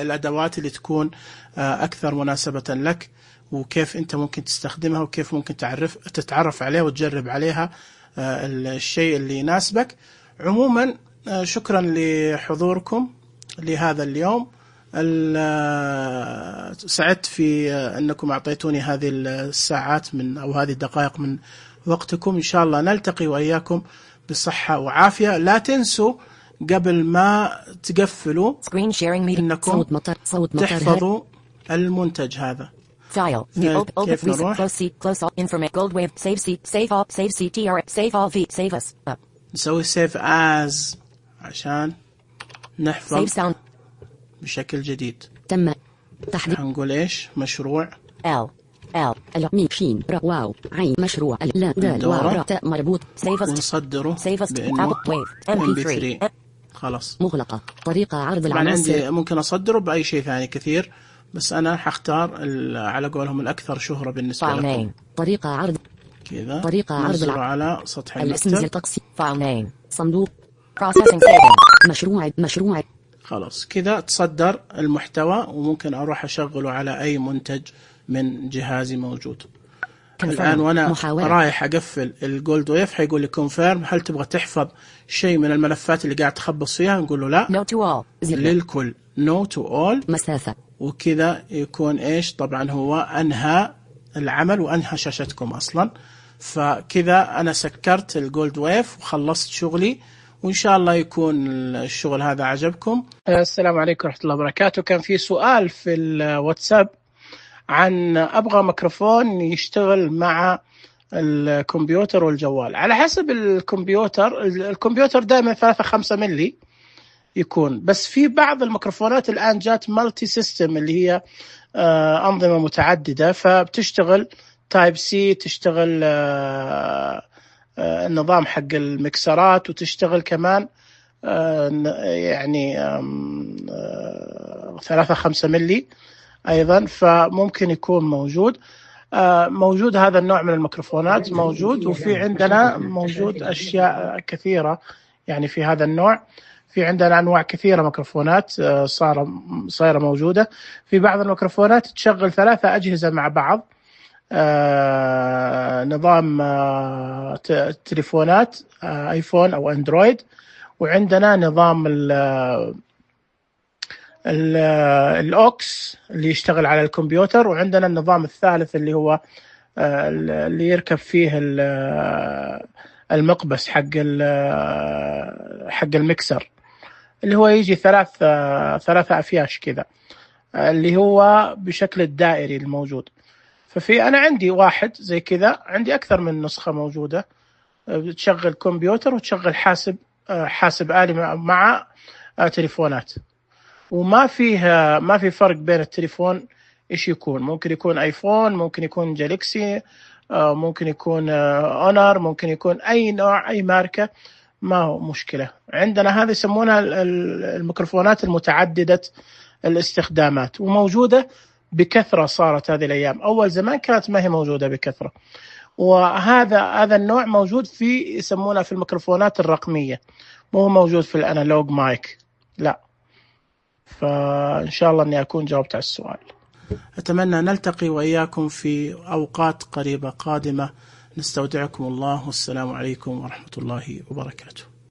الأدوات اللي تكون أكثر مناسبة لك، وكيف أنت ممكن تستخدمها، وكيف ممكن تعرف تتعرف عليها وتجرب عليها الشيء اللي يناسبك. عموما شكرا لحضوركم لهذا اليوم. سعدت في أنكم أعطيتوني هذه الساعات من أو هذه الدقائق من وقتكم. إن شاء الله نلتقي وإياكم بصحة وعافية. لا تنسوا قبل ما تقفلوا إنكم تحفظوا المنتج هذا. File. كيف نروح؟ Close seat. Close all. Information. Gold wave. Save seat. Save all. Save C T R. Save all V. Save us. Up. نسوي save as عشان نحفظ Save sound. بشكل جديد. تم تحديد. هنقول إيش؟ مشروع. L L L ميم شين را واو عين مشروع لا دال واو را تاء مربوط. Save us. ونصدره Save us. بإنه wave. إم بي ثري. خلاص. مغلقة. طريقة عرض طبعا العناصر. عندي ممكن أصدره بأي شيء ثاني كثير، بس أنا حختار على قولهم الأكثر شهرة بالنسبة لكم. طريقة عرض كذا. طريقة عرض الع... على سطح الاسم المكتب. تقسيم. فايل نيم. صندوق. processing saving. مشروع مشروع. خلاص كذا تصدر المحتوى، وممكن أروح أشغله على أي منتج من جهازي موجود. الآن وأنا محاولة. رايح أقفل الجولد ويف حيقول لي كونفيرم. هل تبغى تحفظ شيء من الملفات اللي قاعد تخبص فيها؟ نقول له لا. No to all. للكل. No to all. مسافة. وكذا يكون إيش؟ طبعا هو أنهى العمل وأنهى شاشتكم أصلا. فكذا أنا سكرت الجولد ويف وخلصت شغلي، وإن شاء الله يكون الشغل هذا عجبكم. السلام عليكم ورحمة الله وبركاته. كان في سؤال في الواتساب عن أبغى ميكروفون يشتغل مع الكمبيوتر والجوال. على حسب الكمبيوتر، الكمبيوتر دائما ثلاثة خمسة ملي يكون، بس في بعض الميكروفونات الآن جات مالتي سيستم اللي هي آه أنظمة متعددة، فبتشتغل تايب سي، تشتغل آه آه النظام حق المكسرات، وتشتغل كمان آه يعني آه ثلاثة خمسة ملي أيضا، فممكن يكون موجود آه موجود هذا النوع من الميكروفونات موجود. وفي عندنا موجود أشياء كثيرة يعني في هذا النوع. في عندنا أنواع كثيرة ميكروفونات صار صايرة موجودة. في بعض الميكروفونات تشغل ثلاثة أجهزة مع بعض، آه نظام آه تليفونات آه آيفون أو أندرويد، وعندنا نظام ال ال الأوكس اللي يشتغل على الكمبيوتر، وعندنا النظام الثالث اللي هو آه اللي يركب فيه المقبس حق حق المكسر، اللي هو يجي ثلاث ثلاثة أفياش كذا، اللي هو بشكل الدائري الموجود. ففي أنا عندي واحد زي كذا، عندي أكثر من نسخة موجودة، تشغل كمبيوتر وتشغل حاسب حاسب آلي مع تليفونات، وما فيها ما في فرق بين التليفون إيش يكون. ممكن يكون آيفون، ممكن يكون جالكسي، ممكن يكون أونر، ممكن يكون أي نوع أي ماركة، ما هو مشكلة. عندنا هذه يسمونها الميكروفونات المتعددة الاستخدامات، وموجودة بكثرة صارت هذه الأيام. أول زمان كانت ما هي موجودة بكثرة. وهذا هذا النوع موجود في يسمونه في الميكروفونات الرقمية، مو موجود في الأنالوج مايك، لا. فإن شاء الله أني أكون جاوبت على السؤال. أتمنى نلتقي وإياكم في أوقات قريبة قادمة. نستودعكم الله، والسلام عليكم ورحمة الله وبركاته.